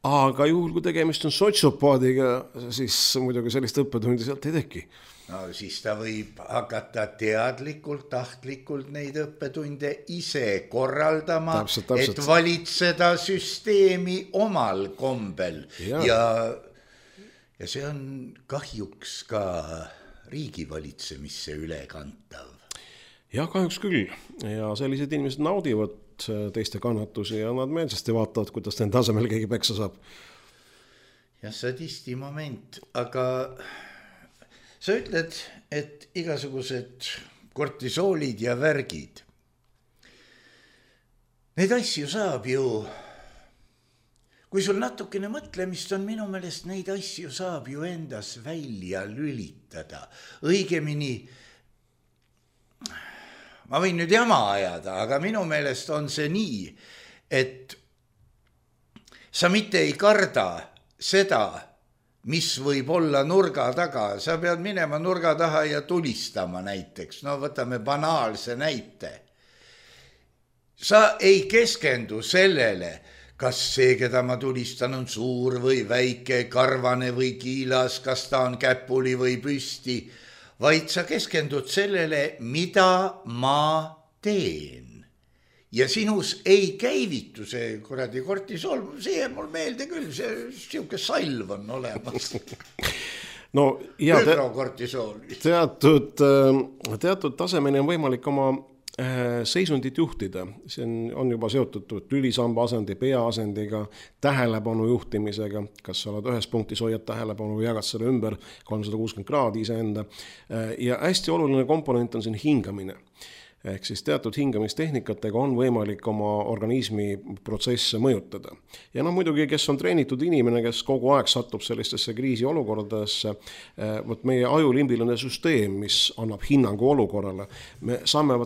Aga juhul, kui tegemist on sotsiopaadiga, siis muidugi sellist õppetundi sealt ei teki. No siis ta võib hakata teadlikult, tahtlikult neid õppetunde ise korraldama, täpselt. Et valitseda süsteemi omal kombel. Ja see on kahjuks ka riigivalitsemisse ülekantav. Ja kahjuks küll. Ja sellised inimesed naudivad teiste kannatusi ja nad meelsasti vaatavad, kuidas nende tasemel keegi peksa saab. Ja sadisti moment, aga sa ütled, et igasugused kortisoolid ja värgid. Neid asju saab ju, kui sul natukene mõtlemist on, minu meelest neid asju saab ju endas välja lülitada. Õigemini, ma võin nüüd jama ajada, aga minu meelest on see nii, et sa mitte ei karda seda, mis võib olla nurga taga. Sa pead minema nurga taha ja tulistama näiteks. No võtame banaalse näite. Sa ei keskendu sellele, kas see, keda ma tulistan, on suur või väike, karvane või kiilas, kas ta on käpuli või püsti, vaid sa keskendud sellele, mida ma teen. Ja sinus ei käivitu see kuradi kortisool, see mul meelde küll, see siuke salv on olemas. No, ja teatud tasemeni on võimalik oma seisundit juhtida. See on juba seotud lülisamba asendi, peaasendiga, tähelepanu juhtimisega, kas sa oled ühes punktis, hoiad tähelepanu või jagad selle ümber 360 kraadi iseenda. Ja hästi oluline komponent on siin hingamine. Ehk siis teatud hingamistehnikatega on võimalik oma organismi protsesse mõjutada. Ja muidugi, kes on treenitud inimene, kes kogu aeg satub sellistesse kriisi olukordadesse, meie ajulimbiline süsteem, mis annab hinnangu olukorrale, me saame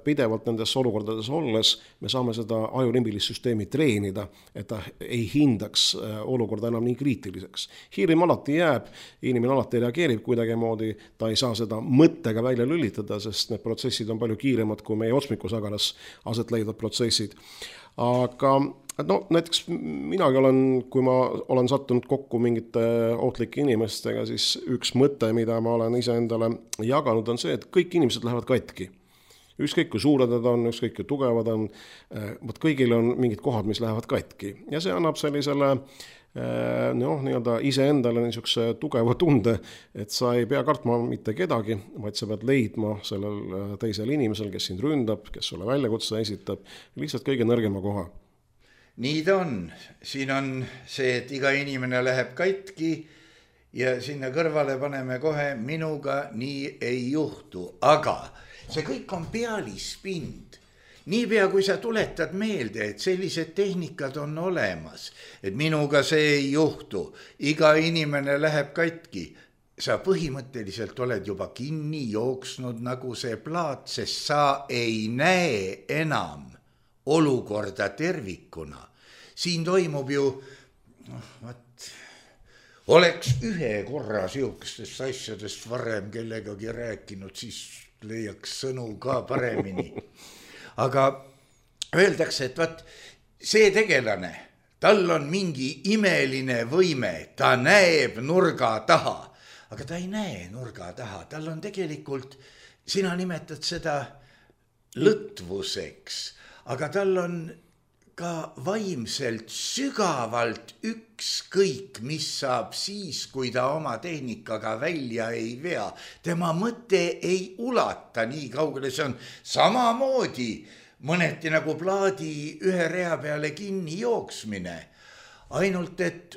pidevalt nendes olukordades olles, me saame seda ajulimbilist süsteemi treenida, et ta ei hindaks olukorda enam nii kriitiliseks. Hirm alati jääb, inimene alati reageerib kuidagi moodi, ta ei saa seda mõttega välja lülitada, sest need protsessid on palju kiiremad kui meie otsmikusagaras aset leidvad protsessid. Aga näiteks minagi kui ma olen sattunud kokku mingite ohtlike inimestega, siis üks mõte, mida ma olen iseendale jaganud, on see, et kõik inimesed lähevad katki. Ükskõik kui suured nad on, ükskõik kui tugevad on, kõigil on mingid kohad, mis lähevad katki. Ja see annab sellisele iseendale niisuguse tugeva tunde, et sa ei pea kartma mitte kedagi, vaid sa pead leidma sellel teisel inimesel, kes sind ründab, kes sulle väljakutse esitab, lihtsalt kõige nõrgema koha. Nii ta on. Siin on see, et iga inimene läheb katki ja sinna kõrvale paneme kohe minuga nii ei juhtu, aga see kõik on pealispind. Niipea kui sa tuletad meelde, et sellised tehnikad on olemas, et minuga see ei juhtu, iga inimene läheb katki, sa põhimõtteliselt oled juba kinni jooksnud nagu see plaat, sest sa ei näe enam olukorda tervikuna. Siin toimub ju, oleks ühe korra siukestest asjadest varem kellegagi rääkinud, siis leiaks sõnu ka paremini. Aga öeldakse, et vaat see tegelane, tal on mingi imeline võime, ta näeb nurga taha, aga ta ei näe nurga taha, tal on tegelikult, sina nimetad seda lõtvuseks, aga tal on ka vaimselt sügavalt ükskõik, mis saab siis, kui ta oma tehnikaga välja ei vea. Tema mõte ei ulata nii kaugele, see on samamoodi mõneti nagu plaadi ühe rea peale kinni jooksmine. Ainult, et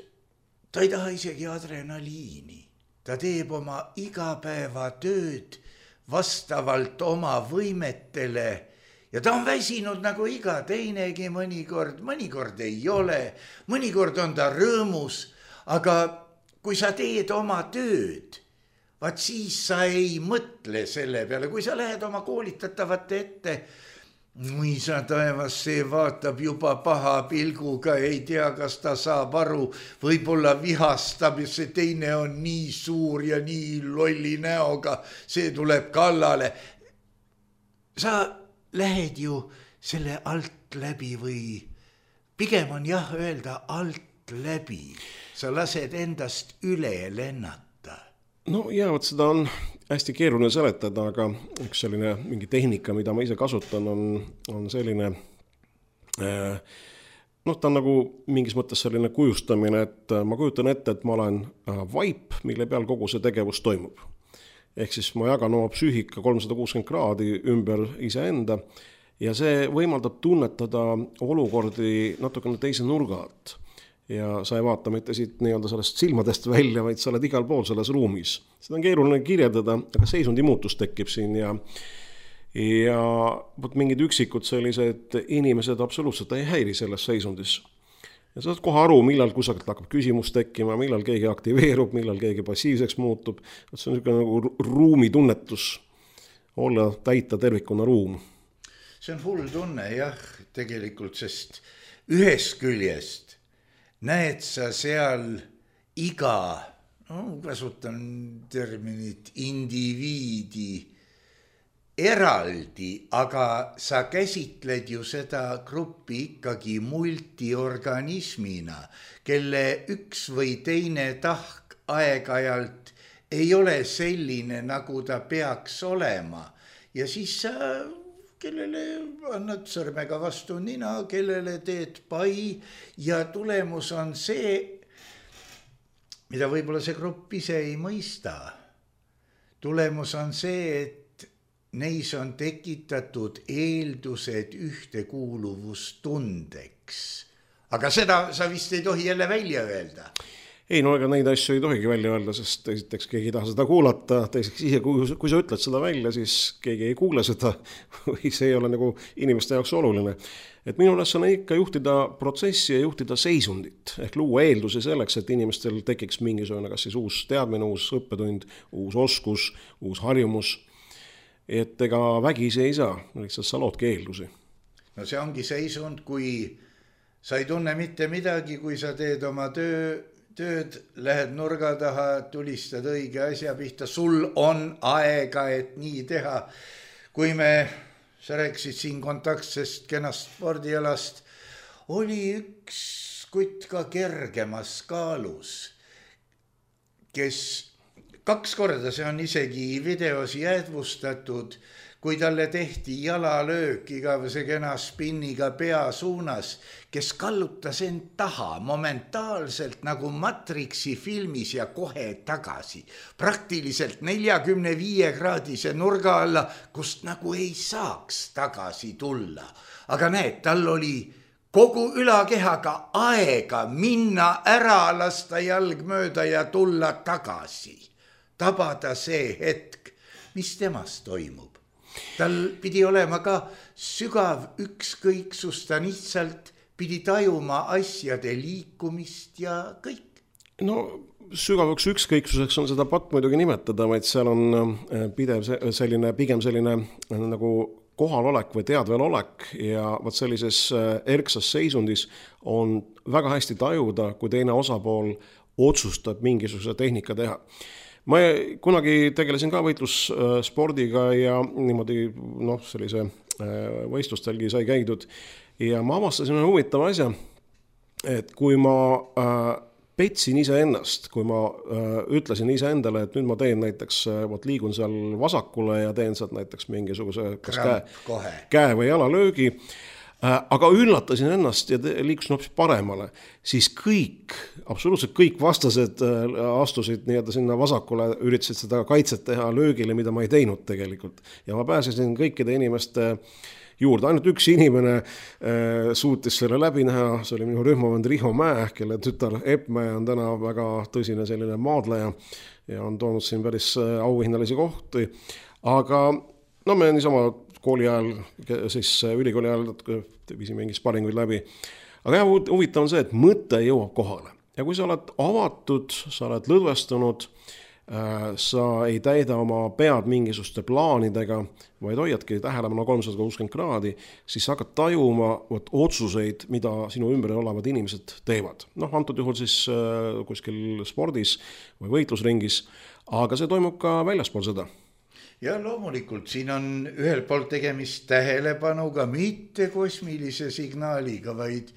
ta ei taha isegi adrenaliini. Ta teeb oma igapäevatööd vastavalt oma võimetele ja ta on väsinud nagu iga teinegi mõnikord ei ole, mõnikord on ta rõõmus, aga kui sa teed oma tööd, vaat siis sa ei mõtle selle peale, kui sa lähed oma koolitatavate ette, mõisa taevas, see vaatab juba paha pilguga, ei tea, kas ta saab aru, võib-olla vihastab ja see teine on nii suur ja nii lolli näoga, see tuleb kallale. Sa lähed ju selle alt läbi või pigem on jah öelda alt läbi. Sa lased endast üle lennata. No ja, võt seda on hästi keeruline seletada, aga üks selline mingi tehnika, mida ma ise kasutan, on selline, ta on nagu mingis mõttes selline kujustamine, et ma kujutan ette, et ma olen vaip, mille peal kogu see tegevus toimub. Ehk siis ma jagan oma psüühika 360 kraadi ümber iseenda ja see võimaldab tunnetada olukordi natukene teise nurga alt. Ja sa ei vaata mitte siit nii-öelda sellest silmadest välja, vaid sa oled igal pool selles ruumis. Seda on keeruline kirjeldada, aga seisundi muutus tekib siin ja mingid üksikud sellised inimesed absoluutselt ei häiri selles seisundis. Ja sa saad kohe aru, millal kusagilt hakkab küsimus tekkima, millal keegi aktiveerub, millal keegi passiivseks muutub. See on nagu ruumitunnetus, olla täita tervikuna ruum. See on hull tunne, jah, tegelikult, sest ühest küljest näed sa seal iga, kasutan terminit, indiviidi eraldi, aga sa käsitled ju seda gruppi ikkagi multiorganismina, kelle üks või teine tahk aeg-ajalt ei ole selline, nagu ta peaks olema. Ja siis sa, kellele annad sõrmega vastu nina, kellele teed pai ja tulemus on see, mida võib-olla see grupp ise ei mõista. Tulemus on see, et neis on tekitatud eeldused ühtekuuluvustundeks. Aga seda sa vist ei tohi jälle välja öelda. Ei, no ega neid asju ei tohigi välja öelda, sest esiteks keegi ei taha seda kuulata, teiseks ise, kui sa ütled seda välja, siis keegi ei kuule seda või see ei ole nagu inimeste jaoks oluline. Et minu ülesanne on ikka juhtida protsessi ja juhtida seisundit, ehk luua eeldusi selleks, et inimestel tekiks mingisugune kas siis uus teadmine, uus õppetund, uus oskus, uus harjumus. Et ega vägisi ei saa, lihtsalt sa loodki eeldusi. No see ongi seisund, kui sa ei tunne mitte midagi, kui sa teed oma tööd, lähed nurga taha, tulistad õige asja pihta, sul on aega, et nii teha. Kui sa rääkisid siin kontaktsest kenast spordialast, oli üks kutt ka kergemas kaalus, kes 2 korda, see on isegi videos jäädvustatud, kui talle tehti jalalöök igavese kena spinniga pea suunas, kes kallutas end taha momentaalselt nagu Matrixi filmis ja kohe tagasi. Praktiliselt 45-kraadise nurga alla, kust nagu ei saaks tagasi tulla. Aga näed, tal oli kogu ülakehaga aega minna ära, lasta jalg mööda ja tulla tagasi. Tabada see hetk, mis temas toimub. Tal pidi olema ka sügav ükskõiksus, ta lihtsalt pidi tajuma asjade liikumist ja kõik. No sügavaks ükskõiksuseks on seda pat muidugi nimetada, vaid seal on pidev pigem selline nagu kohalolek või teadvelolek ja võt sellises erksas seisundis on väga hästi tajuda, kui teine osapool otsustab mingisuguse tehnika teha. Ma kunagi tegelesin ka võitlusspordiga ja niimoodi sellise võistlustelgi sai käidud ja ma avastasin huvitava asja, et kui ma petsin ise ennast, kui ma ütlesin ise endale, et nüüd ma teen näiteks, liigun seal vasakule ja teen sealt näiteks mingisuguse käe või jalalöögi, aga üllatasin ennast ja liikusin hoopis paremale, siis absoluutselt kõik vastased astusid sinna vasakule, üritasid seda kaitset teha löögile, mida ma ei teinud tegelikult. Ja ma pääsesin kõikide inimeste juurde. Ainult üks inimene suutis selle läbi näha, see oli minu rühmavend Riho Mäe, kelle tütar Eppmäe on täna väga tõsine selline maadleja ja on toonud siin päris auhinnalisi kohti. Aga me niisama kooli ajal, siis ülikooli ajal viisime mingi sparinguid läbi. Aga huvitav on see, et mõte jõuab kohale. Ja kui sa oled avatud, sa oled lõdvestunud, sa ei täida oma pead mingisuguste plaanidega, vaid hoiadki tähelepanu 360 kraadi, siis sa hakkad tajuma otsuseid, mida sinu ümber olevad inimesed teevad. Antud juhul siis kuskil spordis või võitlusringis, aga see toimub ka väljaspool seda. Ja loomulikult siin on ühel poolt tegemist tähelepanuga, mitte kosmilise signaaliga, vaid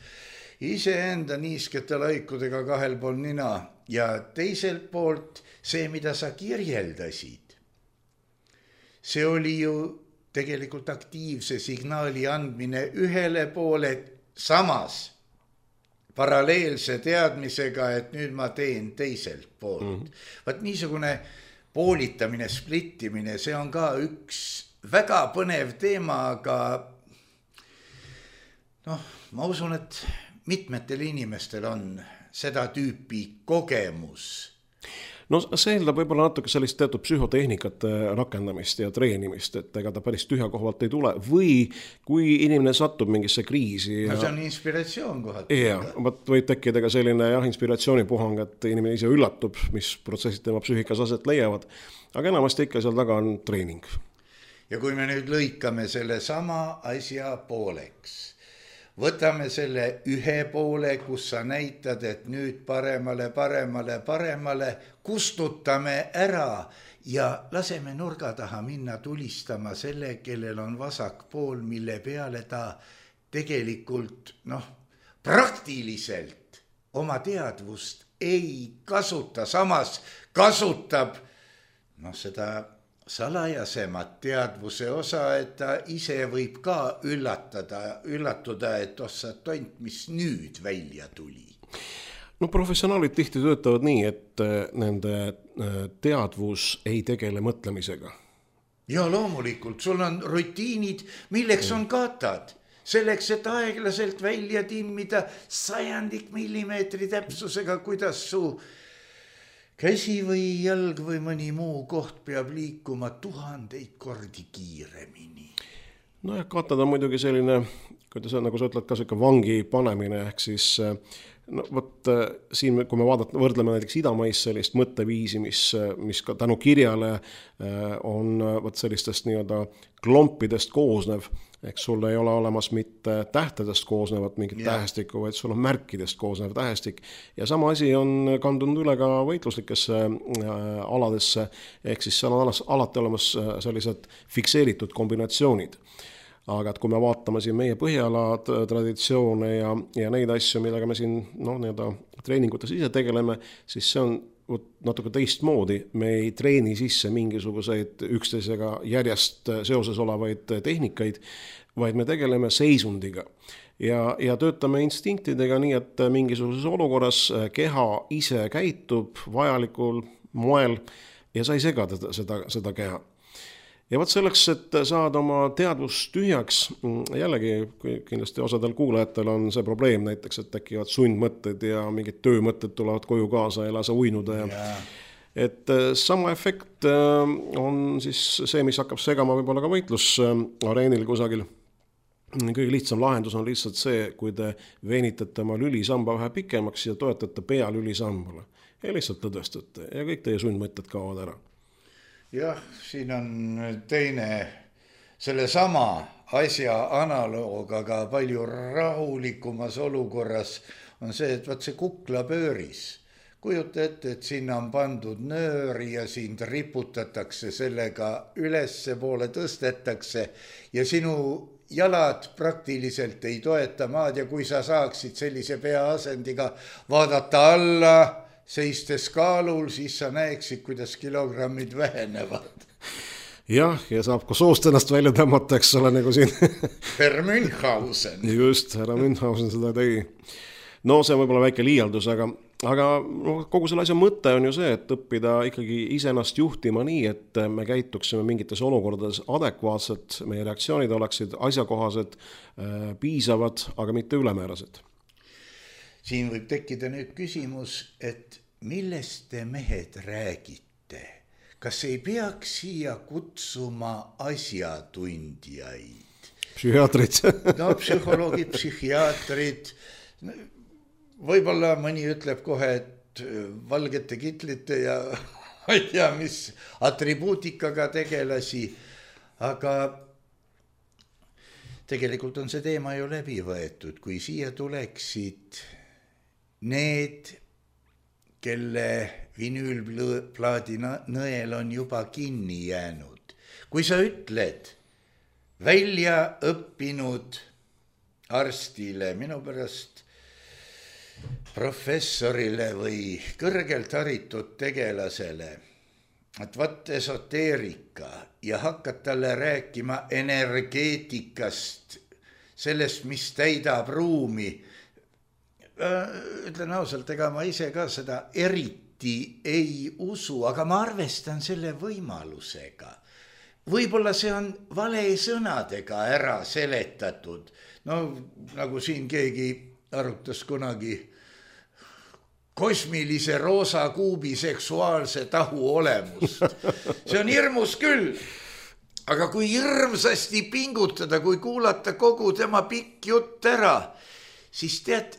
iseenda niiskete laikudega kahel pool nina ja teiselt poolt see, mida sa kirjeldasid. See oli ju tegelikult aktiivse signaali andmine ühele poole samas paralleelse teadmisega, et nüüd ma teen teiselt poolt. Vaat niisugune poolitamine, splittimine, see on ka üks väga põnev teema, aga ma usun, et mitmetel inimestel on seda tüüpi kogemus. See eeldab võib-olla natuke sellist teatud psühhotehnikate rakendamist ja treenimist, et ega ta päris tühja kohalt ei tule või kui inimene satub mingisse kriisi. See on inspiratsioon kohalt. Võib tekkida ka selline inspiratsioonipuhang, et inimene ise üllatub, mis protsessid tema psüühikas aset leiavad, aga enamasti ikka seal taga on treening. Ja kui me nüüd lõikame selle sama asja pooleks, võtame selle ühe poole, kus sa näitad, et nüüd paremale, kustutame ära ja laseme nurga taha minna tulistama selle, kellel on vasak pool, mille peale ta tegelikult praktiliselt oma teadvust ei kasuta, samas kasutab seda salajasemat teadvuse osa, et ta ise võib ka üllatuda, et ossa tont, mis nüüd välja tuli. Professionaalid tihti töötavad nii, et nende teadvus ei tegele mõtlemisega. Ja loomulikult, sul on rutiinid, milleks on katad. Selleks, et aeglaselt välja timmida 100 millimeetri täpsusega, kuidas su käsi või jalg või mõni muu koht peab liikuma 1000 kordi kiiremini. Ja katad on muidugi selline, kuidas on, nagu sa ütled, ka selline vangi panemine, ehk siis siin, kui me võrdleme näiteks idamais sellist mõtteviisi, mis ka tänu kirjale on sellistest klompidest koosnev, ehk sul ei ole olemas mitte tähtedest koosnevat mingit tähestikku, vaid sul on märkidest koosnev tähestik. Ja sama asi on kandunud üle ka võitluslikesse aladesse, ehk siis seal on alati olemas sellised fikseeritud kombinatsioonid. Aga et kui me vaatame siin meie Põhjala traditsioone ja neid asju, millega me siin treeningutes ise tegeleme, siis see on natuke teistmoodi. Me ei treeni sisse mingisuguseid üksteisega järjest seoses olevaid tehnikaid, vaid me tegeleme seisundiga. Ja töötame instinktidega nii, et mingisuguses olukorras keha ise käitub vajalikul moel ja sa ei sega seda keha. Ja võt selleks, et saada oma teadvust tühjaks, jällegi kindlasti osadel kuulajatel on see probleem näiteks, et tekivad sundmõtted ja mingid töömõtted tulevad koju kaasa ja lase uinuda ja et sama efekt on siis see, mis hakkab segama võib-olla ka võitlusareenil kusagil. Kõige lihtsam lahendus on lihtsalt see, kui te veenitate oma lülisamba vähe pikemaks ja toetate pea lülisambale ja lihtsalt tõdestate ja kõik teie sundmõtted kaovad ära. Jah, siin on teine selle sama asja analoog, aga palju rahulikumas olukorras on see, et vaat see kuklapööris. Kujuta ette, et sinna on pandud nöör ja sind riputatakse sellega ülesse poole tõstetakse ja sinu jalad praktiliselt ei toeta maad ja kui sa saaksid sellise peaasendiga vaadata alla, seistes kaalul, siis sa näeksid, kuidas kilogrammid vähenevad. Jah, ja saab ka soost ennast välja tõmmata, eks ole, nagu siin. Per Münchhausen. Just, härra Münchhausen seda tegi. No see on võib-olla väike liialdus, aga kogu selle asja mõte on ju see, et õppida ikkagi iseennast juhtima nii, et me käituksime mingites olukordades adekvaatselt, meie reaktsioonid oleksid asjakohased, piisavad, aga mitte ülemäärased. Siin võib tekkida nüüd küsimus, et millest te mehed räägite? Kas ei peaks siia kutsuma asjatundjaid? Psühhiaatrid. No psühholoogid, psühhiaatrid. Võib-olla mõni ütleb kohe, et valgete kitlite ja ma ei tea, mis atribuutikaga tegelasi, aga tegelikult on see teema ju läbi võetud, kui siia tuleksid need, kelle vinüülplaadi nõel on juba kinni jäänud. Kui sa ütled välja õppinud arstile, minu pärast professorile või kõrgelt haritud tegelasele, et vaat esoteerika ja hakkad talle rääkima energeetikast, sellest, mis täidab ruumi. Ütlen ausalt, ega ma ise ka seda eriti ei usu, aga ma arvestan selle võimalusega. Võib-olla see on vale sõnadega ära seletatud. No nagu siin keegi arutas kunagi kosmilise roosa kuubi seksuaalse tahu olemust. See on hirmus küll. Aga kui hirmsasti pingutada, kui kuulata kogu tema pikk jutt ära, siis tead,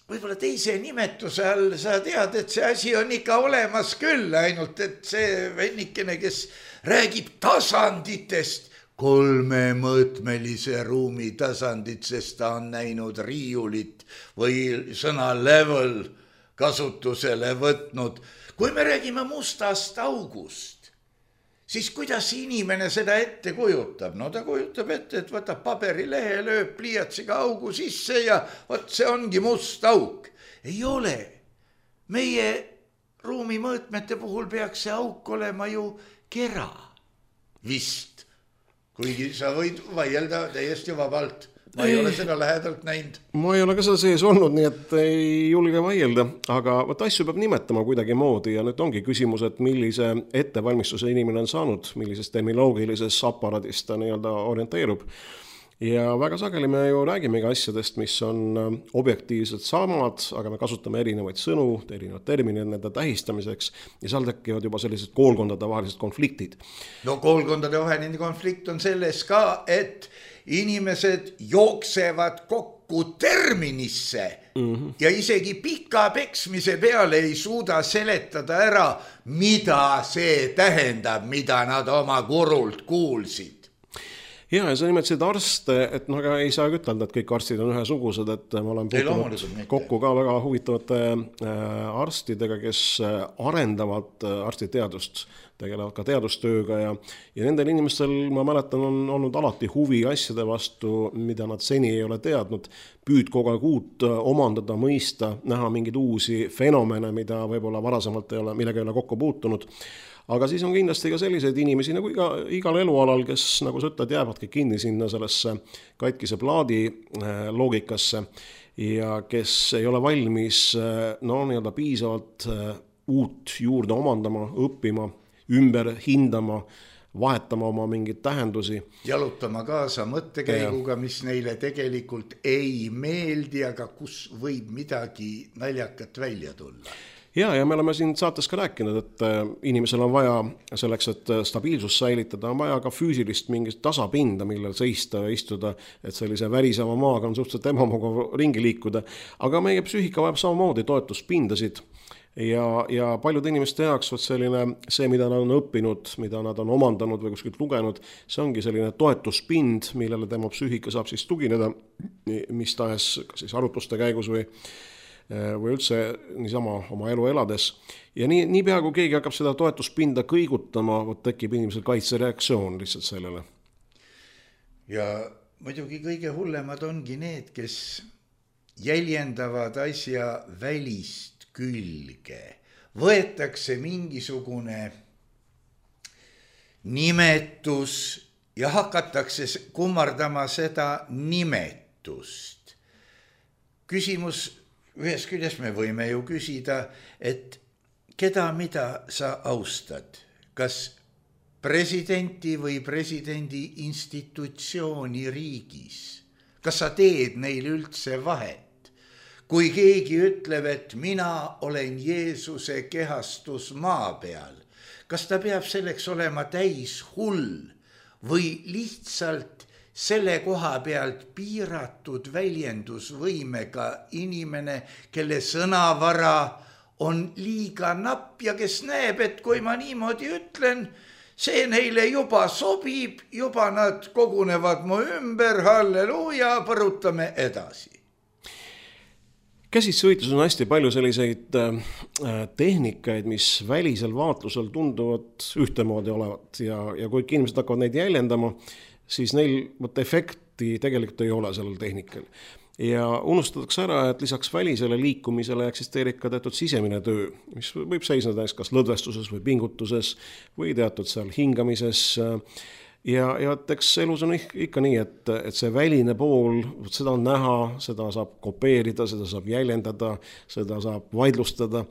võib-olla teise nimetuse all sa tead, et see asi on ikka olemas küll, ainult et see vennikene, kes räägib tasanditest, 3-mõõtmelise ruumi tasandit, sest ta on näinud riiulit või sõna level kasutusele võtnud. Kui me räägime mustast august, siis kuidas inimene seda ette kujutab? No ta kujutab ette, et võtab paberilehe, lööb pliiatsiga augu sisse ja võt see ongi must auk. Ei ole. Meie ruumi mõõtmete puhul peaks see auk olema ju kera. Vist. Kuigi sa võid vaielda täiesti vabalt. Ma ei ole seda lähedalt näinud. Ma ei ole ka seda sees olnud, nii et ei julge vaielda, aga võt asju peab nimetama kuidagi moodi ja nüüd ongi küsimus, et millise ettevalmistuse inimene on saanud, millises terminoloogilises aparaadis ta nii-öelda orienteerub. Ja väga sageli me ju räägimegi asjadest, mis on objektiivselt samad, aga me kasutame erinevaid sõnu, erinevad terminid nende tähistamiseks ja seal tekivad juba sellised koolkondade vahelised konfliktid. No koolkondade vaheline konflikt on selles ka, et inimesed jooksevad kokku terminisse ja isegi pika peksmise peale ei suuda seletada ära, mida see tähendab, mida nad oma kurult kuulsid. Ja sa nimetasid arste, et no aga ei saa ütelda, et kõik arstid on ühesugused, et ma olen puutunud kokku ka väga huvitavate arstidega, kes arendavad arstiteadust, tegelevad ka teadustööga ja nendel inimestel, ma mäletan, on olnud alati huvi asjade vastu, mida nad seni ei ole teadnud, püüd kogu aeg uut omandada, mõista, näha mingeid uusi fenomene, mida võib-olla varasemalt ei ole, millega ei ole kokku puutunud. Aga siis on kindlasti ka selliseid inimesi nagu igal elualal, kes, nagu sa ütled, jäävadki kinni sinna sellesse katkise plaadi loogikasse ja kes ei ole valmis nii-öelda piisavalt uut juurde omandama, õppima, ümber hindama, vahetama oma mingeid tähendusi. Jalutama kaasa mõttekäiguga, mis neile tegelikult ei meeldi, aga kus võib midagi naljakat välja tulla. Ja me oleme siin saates ka rääkinud, et inimesel on vaja selleks, et stabiilsus säilitada, on vaja ka füüsilist mingit tasapinda, millel seista ja istuda, et sellise väriseva maaga on suhteliselt ebamugav ringi liikuda. Aga meie psüühika vajab samamoodi toetuspindasid ja paljude inimeste jaoks selline, see, mida nad on õppinud, mida nad on omandanud või kuskilt lugenud, see ongi selline toetuspind, millele tema psüühika saab siis tugineda, mis tahes kas siis arutluste käigus või üldse niisama oma elu elades. Ja nii pea, kui keegi hakkab seda toetuspinda kõigutama, tekib inimesel kaitsereaktsioon lihtsalt sellele. Ja muidugi kõige hullemad ongi need, kes jäljendavad asja välist külge. Võetakse mingisugune nimetus ja hakatakse kummardama seda nimetust. Küsimus ühes küljest me võime ju küsida, et keda mida sa austad, kas presidenti või presidendi institutsiooni riigis, kas sa teed neil üldse vahet, kui keegi ütleb, et mina olen Jeesuse kehastus maa peal, kas ta peab selleks olema täis hull või lihtsalt selle koha pealt piiratud väljendusvõimega inimene, kelle sõnavara on liiga napp ja kes näeb, et kui ma niimoodi ütlen, see neile juba sobib, juba nad kogunevad mu ümber, halleluuja, põrutame edasi. Käsitsevõitluses on hästi palju selliseid tehnikaid, mis välisel vaatlusel tunduvad ühtemoodi olevat ja kui inimesed hakkavad neid jäljendama, siis neil efekti tegelikult ei ole sellel tehnikal. Ja unustatakse ära, et lisaks välisele liikumisele eksisteerib ka teatud sisemine töö, mis võib seisneda kas lõdvestuses või pingutuses või teatud seal hingamises. Ja eks elus on ikka nii, et see väline pool, seda on näha, seda saab kopeerida, seda saab jäljendada, seda saab vaidlustada.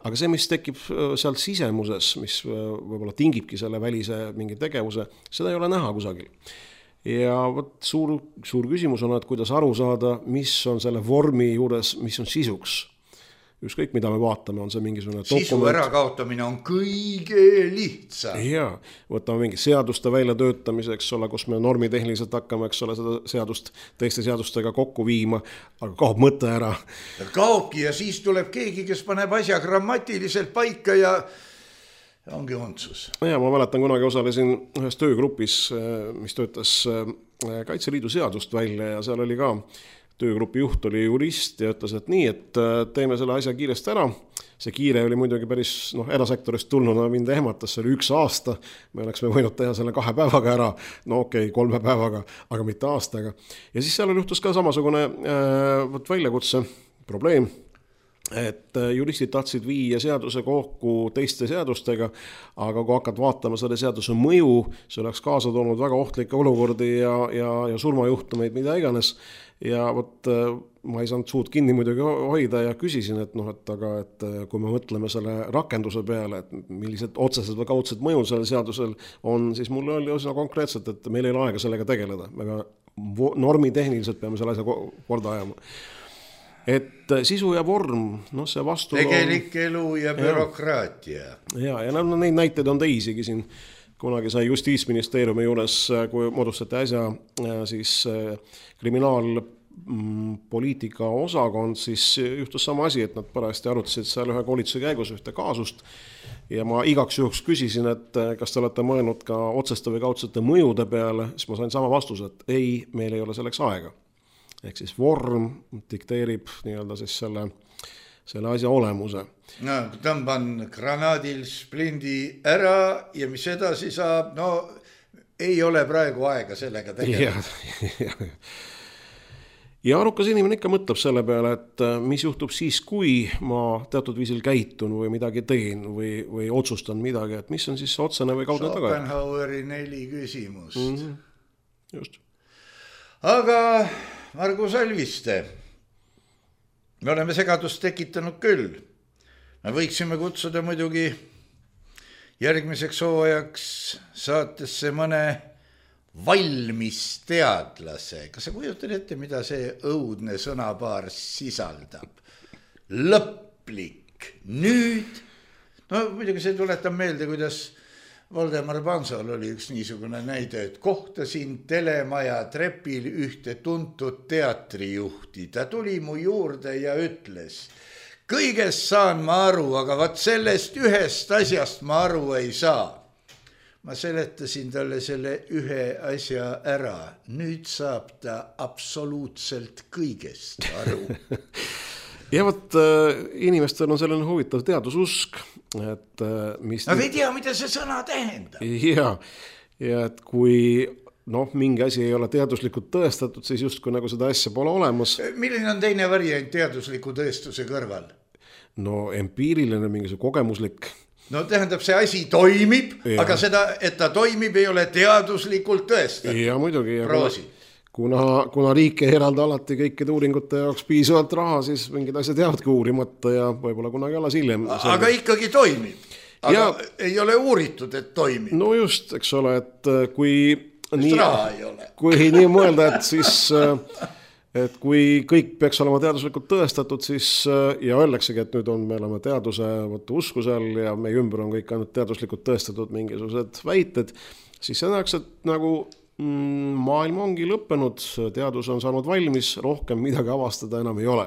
Aga see, mis tekib seal sisemuses, mis võib-olla tingibki selle välise mingi tegevuse, seda ei ole näha kusagil. Ja suur küsimus on, et kuidas aru saada, mis on selle vormi juures, mis on sisuks. Ükskõik, mida me vaatame, on see mingisugune dokument. Sisu ärakaotamine on kõige lihtsam. Jaa, võtame mingi seaduste väljatöötamiseks, kus me normitehniliselt hakkame, seda seadust teiste seadustega kokku viima, aga kaob mõte ära. Kaobki ja siis tuleb keegi, kes paneb asja grammatiliselt paika ja ongi ontsus. Ja ma mäletan, kunagi osalesin ühes töögrupis, mis töötas Kaitseliidu seadust välja ja seal oli ka töögrupi juht oli jurist ja ütles, et nii, et teeme selle asja kiiresti ära. See kiire oli muidugi päris erasektorist tulnuna mind ehmatas, see oli 1 aasta. Me oleksime võinud teha selle 2 päevaga ära, 3 päevaga, aga mitte aastaga. Ja siis seal juhtus ka samasugune väljakutse probleem, et juristid tahtsid viia seaduse kokku teiste seadustega, aga kui hakkad vaatama selle seaduse mõju, see oleks kaasa toonud väga ohtlikke olukordi ja surmajuhtumeid, mida iganes. Ja ma ei saanud suud kinni muidugi hoida ja küsisin, et kui me mõtleme selle rakenduse peale, et millised otsesed või kaudsed mõjud sellel seadusel on, siis mul oli üsna konkreetselt, et meil ei ole aega sellega tegeleda. Me normitehniliselt peame selle asja korda ajama. Et sisu ja vorm, see vastu tegelik elu ja bürokraatia. Ja neid näiteid on teisigi siin. Kunagi sai Justiitsministeeriumi juures, kui moodustati äsja siis kriminaalpoliitika osakond, siis juhtus sama asi, et nad parajasti arutasid seal ühe koolituse käigus ühte kaasust ja ma igaks juhuks küsisin, et kas te olete mõelnud ka otseste või kaudsete mõjude peale, siis ma sain sama vastuse, et ei, meil ei ole selleks aega. Ehk siis vorm dikteerib nii-öelda siis selle asja olemuse. No, tõmban granaadil splindi ära ja mis edasi saab, ei ole praegu aega sellega tegeleda. Ja arukas inimene ikka mõtleb selle peale, et mis juhtub siis, kui ma teatud viisil käitun või midagi teen või otsustan midagi, et mis on siis otsene või kaudne tagajärg. Schopenhaueri 4 küsimust. Just. Aga Margus Alviste, me oleme segadust tekitanud küll. Me võiksime kutsuda muidugi järgmiseks hooajaks saatesse mõne valmis teadlase. Kas sa kujutad ette, mida see õudne sõnapaar sisaldab? Lõplik. Nüüd, no muidugi see tuletab meelde, kuidas Valdemar Pansol oli üks niisugune näide, et kohtasin telemaja trepil ühte tuntud teatrijuhti. Ta tuli mu juurde ja ütles, kõigest saan ma aru, aga vaat sellest ühest asjast ma aru ei saa. Ma seletasin talle selle ühe asja ära. Nüüd saab ta absoluutselt kõigest aru. Ja võt inimestel on selline huvitav teadususk, et mis... Nad ei tea, mida see sõna tähendab. Ja et kui mingi asi ei ole teaduslikult tõestatud, siis justkui nagu seda asja pole olemas. Milline on teine variant teadusliku tõestuse kõrval? No empiiriline, mingi kogemuslik... No tähendab, see asi toimib, aga seda, et ta toimib, ei ole teaduslikult tõestatud. Ja muidugi. Kuna riik ei eralda alati kõikide uuringute jaoks piisavalt raha, siis mingid asjad jäävadki uurimata ja võib-olla kunagi alles hiljem. Aga ikkagi toimib. Aga ei ole uuritud, et toimib. No just, eks ole, et kui nii, nii mõelda, et siis... Et kui kõik peaks olema teaduslikult tõestatud, siis ja öeldaksegi, et nüüd me oleme teaduse uskusel ja meie ümber on kõik ainult teaduslikult tõestatud mingisugused väited, siis see näeks, et nagu maailm ongi lõppenud, teadus on saanud valmis, rohkem midagi avastada enam ei ole.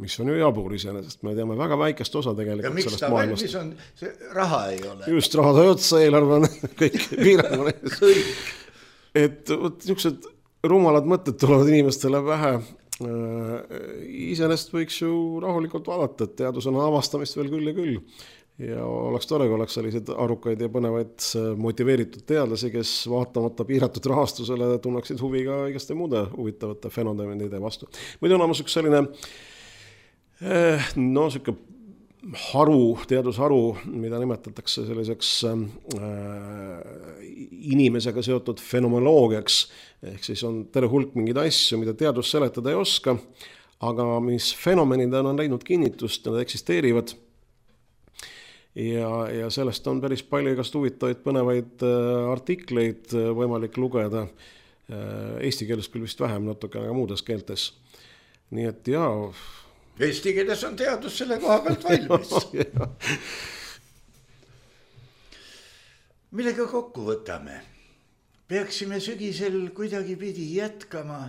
Mis on ju jabur iseenesest, me teame väga väikest osa tegelikult sellest maailmast. Ja miks ta valmis on, see raha ei ole. Just, raha sai otsa, eelarve on kõik piirangud. Et niisugused rumalad mõtted tulevad inimestele pähe. Iseenesest võiks ju rahulikult vaadata, et teadus on avastamist veel küll ja küll. Ja oleks tore, kui oleks sellised arukaid ja põnevaid motiveeritud teadlasi, kes vaatamata piiratud rahastusele tunneksid huvi ka igaste muude huvitavate fenomenide vastu. Muidu on olemas üks selline siuke teadusharu, mida nimetatakse selliseks inimesega seotud fenomenoloogiaks, ehk siis on terve hulk mingeid asju, mida teadus seletada ei oska, aga mis fenomenidena on leidnud kinnitust, nad eksisteerivad ja sellest on päris palju igast huvitavaid põnevaid artikleid võimalik lugeda, eesti keeles küll vist vähem, natuke aga muudes keeltes. Nii et Eesti keeles on teadus selle koha pealt valmis. Millega kokku võtame? Peaksime sügisel kuidagi pidi jätkama.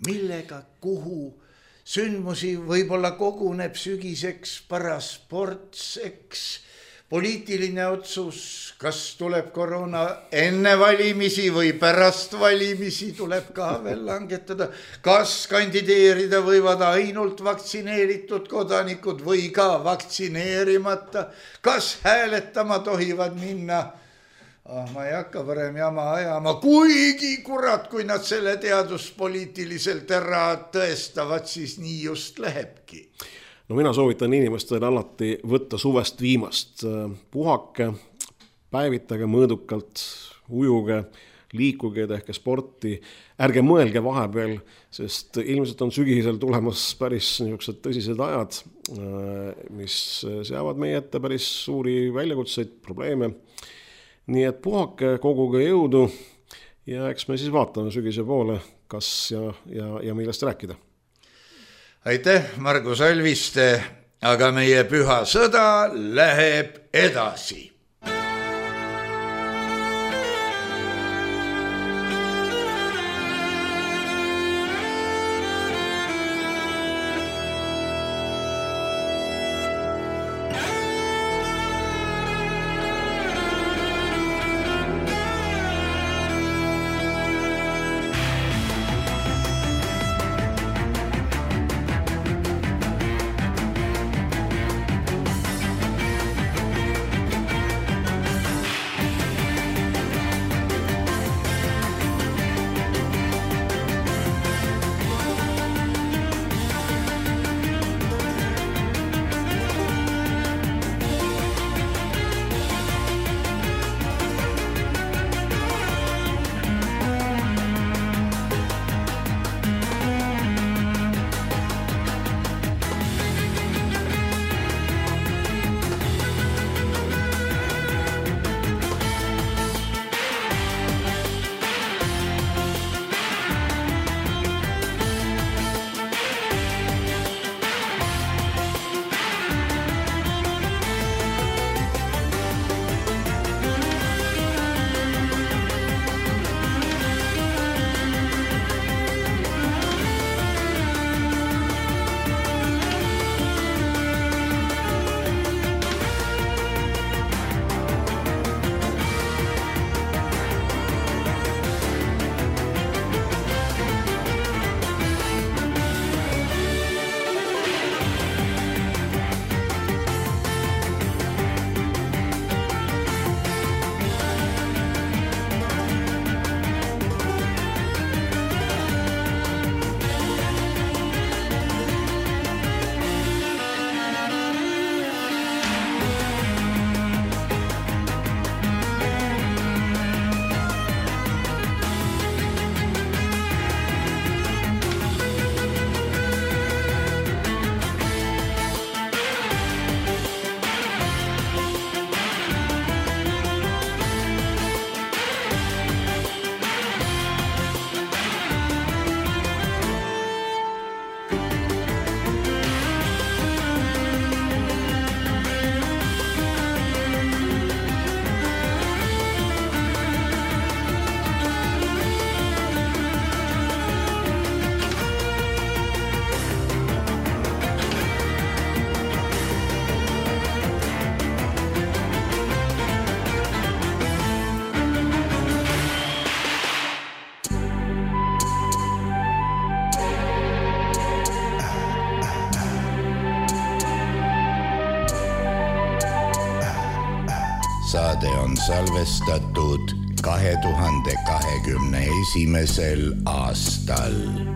Millega, kuhu? Sündmusi võib-olla koguneb sügiseks parasportseks. Poliitiline otsus, kas tuleb koroona enne valimisi või pärast valimisi, tuleb ka veel langetada. Kas kandideerida võivad ainult vaktsineeritud kodanikud või ka vaktsineerimata? Kas hääletama tohivad minna? Ma ei hakka varem jama ajama, kuigi kurat, kui nad selle teaduspoliitiliselt ära tõestavad, siis nii just lähebki. No mina soovitan inimestele alati võtta suvest viimast. Puhake, päevitage mõõdukalt, ujuge, liikuge, tehke sporti. Ärge mõelge vahepeal, sest ilmselt on sügisel tulemas päris niisugused tõsised ajad, mis seavad meie ette päris suuri väljakutseid, probleeme. Nii et puhake, koguge jõudu ja eks me siis vaatame sügise poole, kas ja millest rääkida. Aitäh, Margus Alviste, aga meie püha sõda läheb edasi. saade on salvestatud 2021. aastal.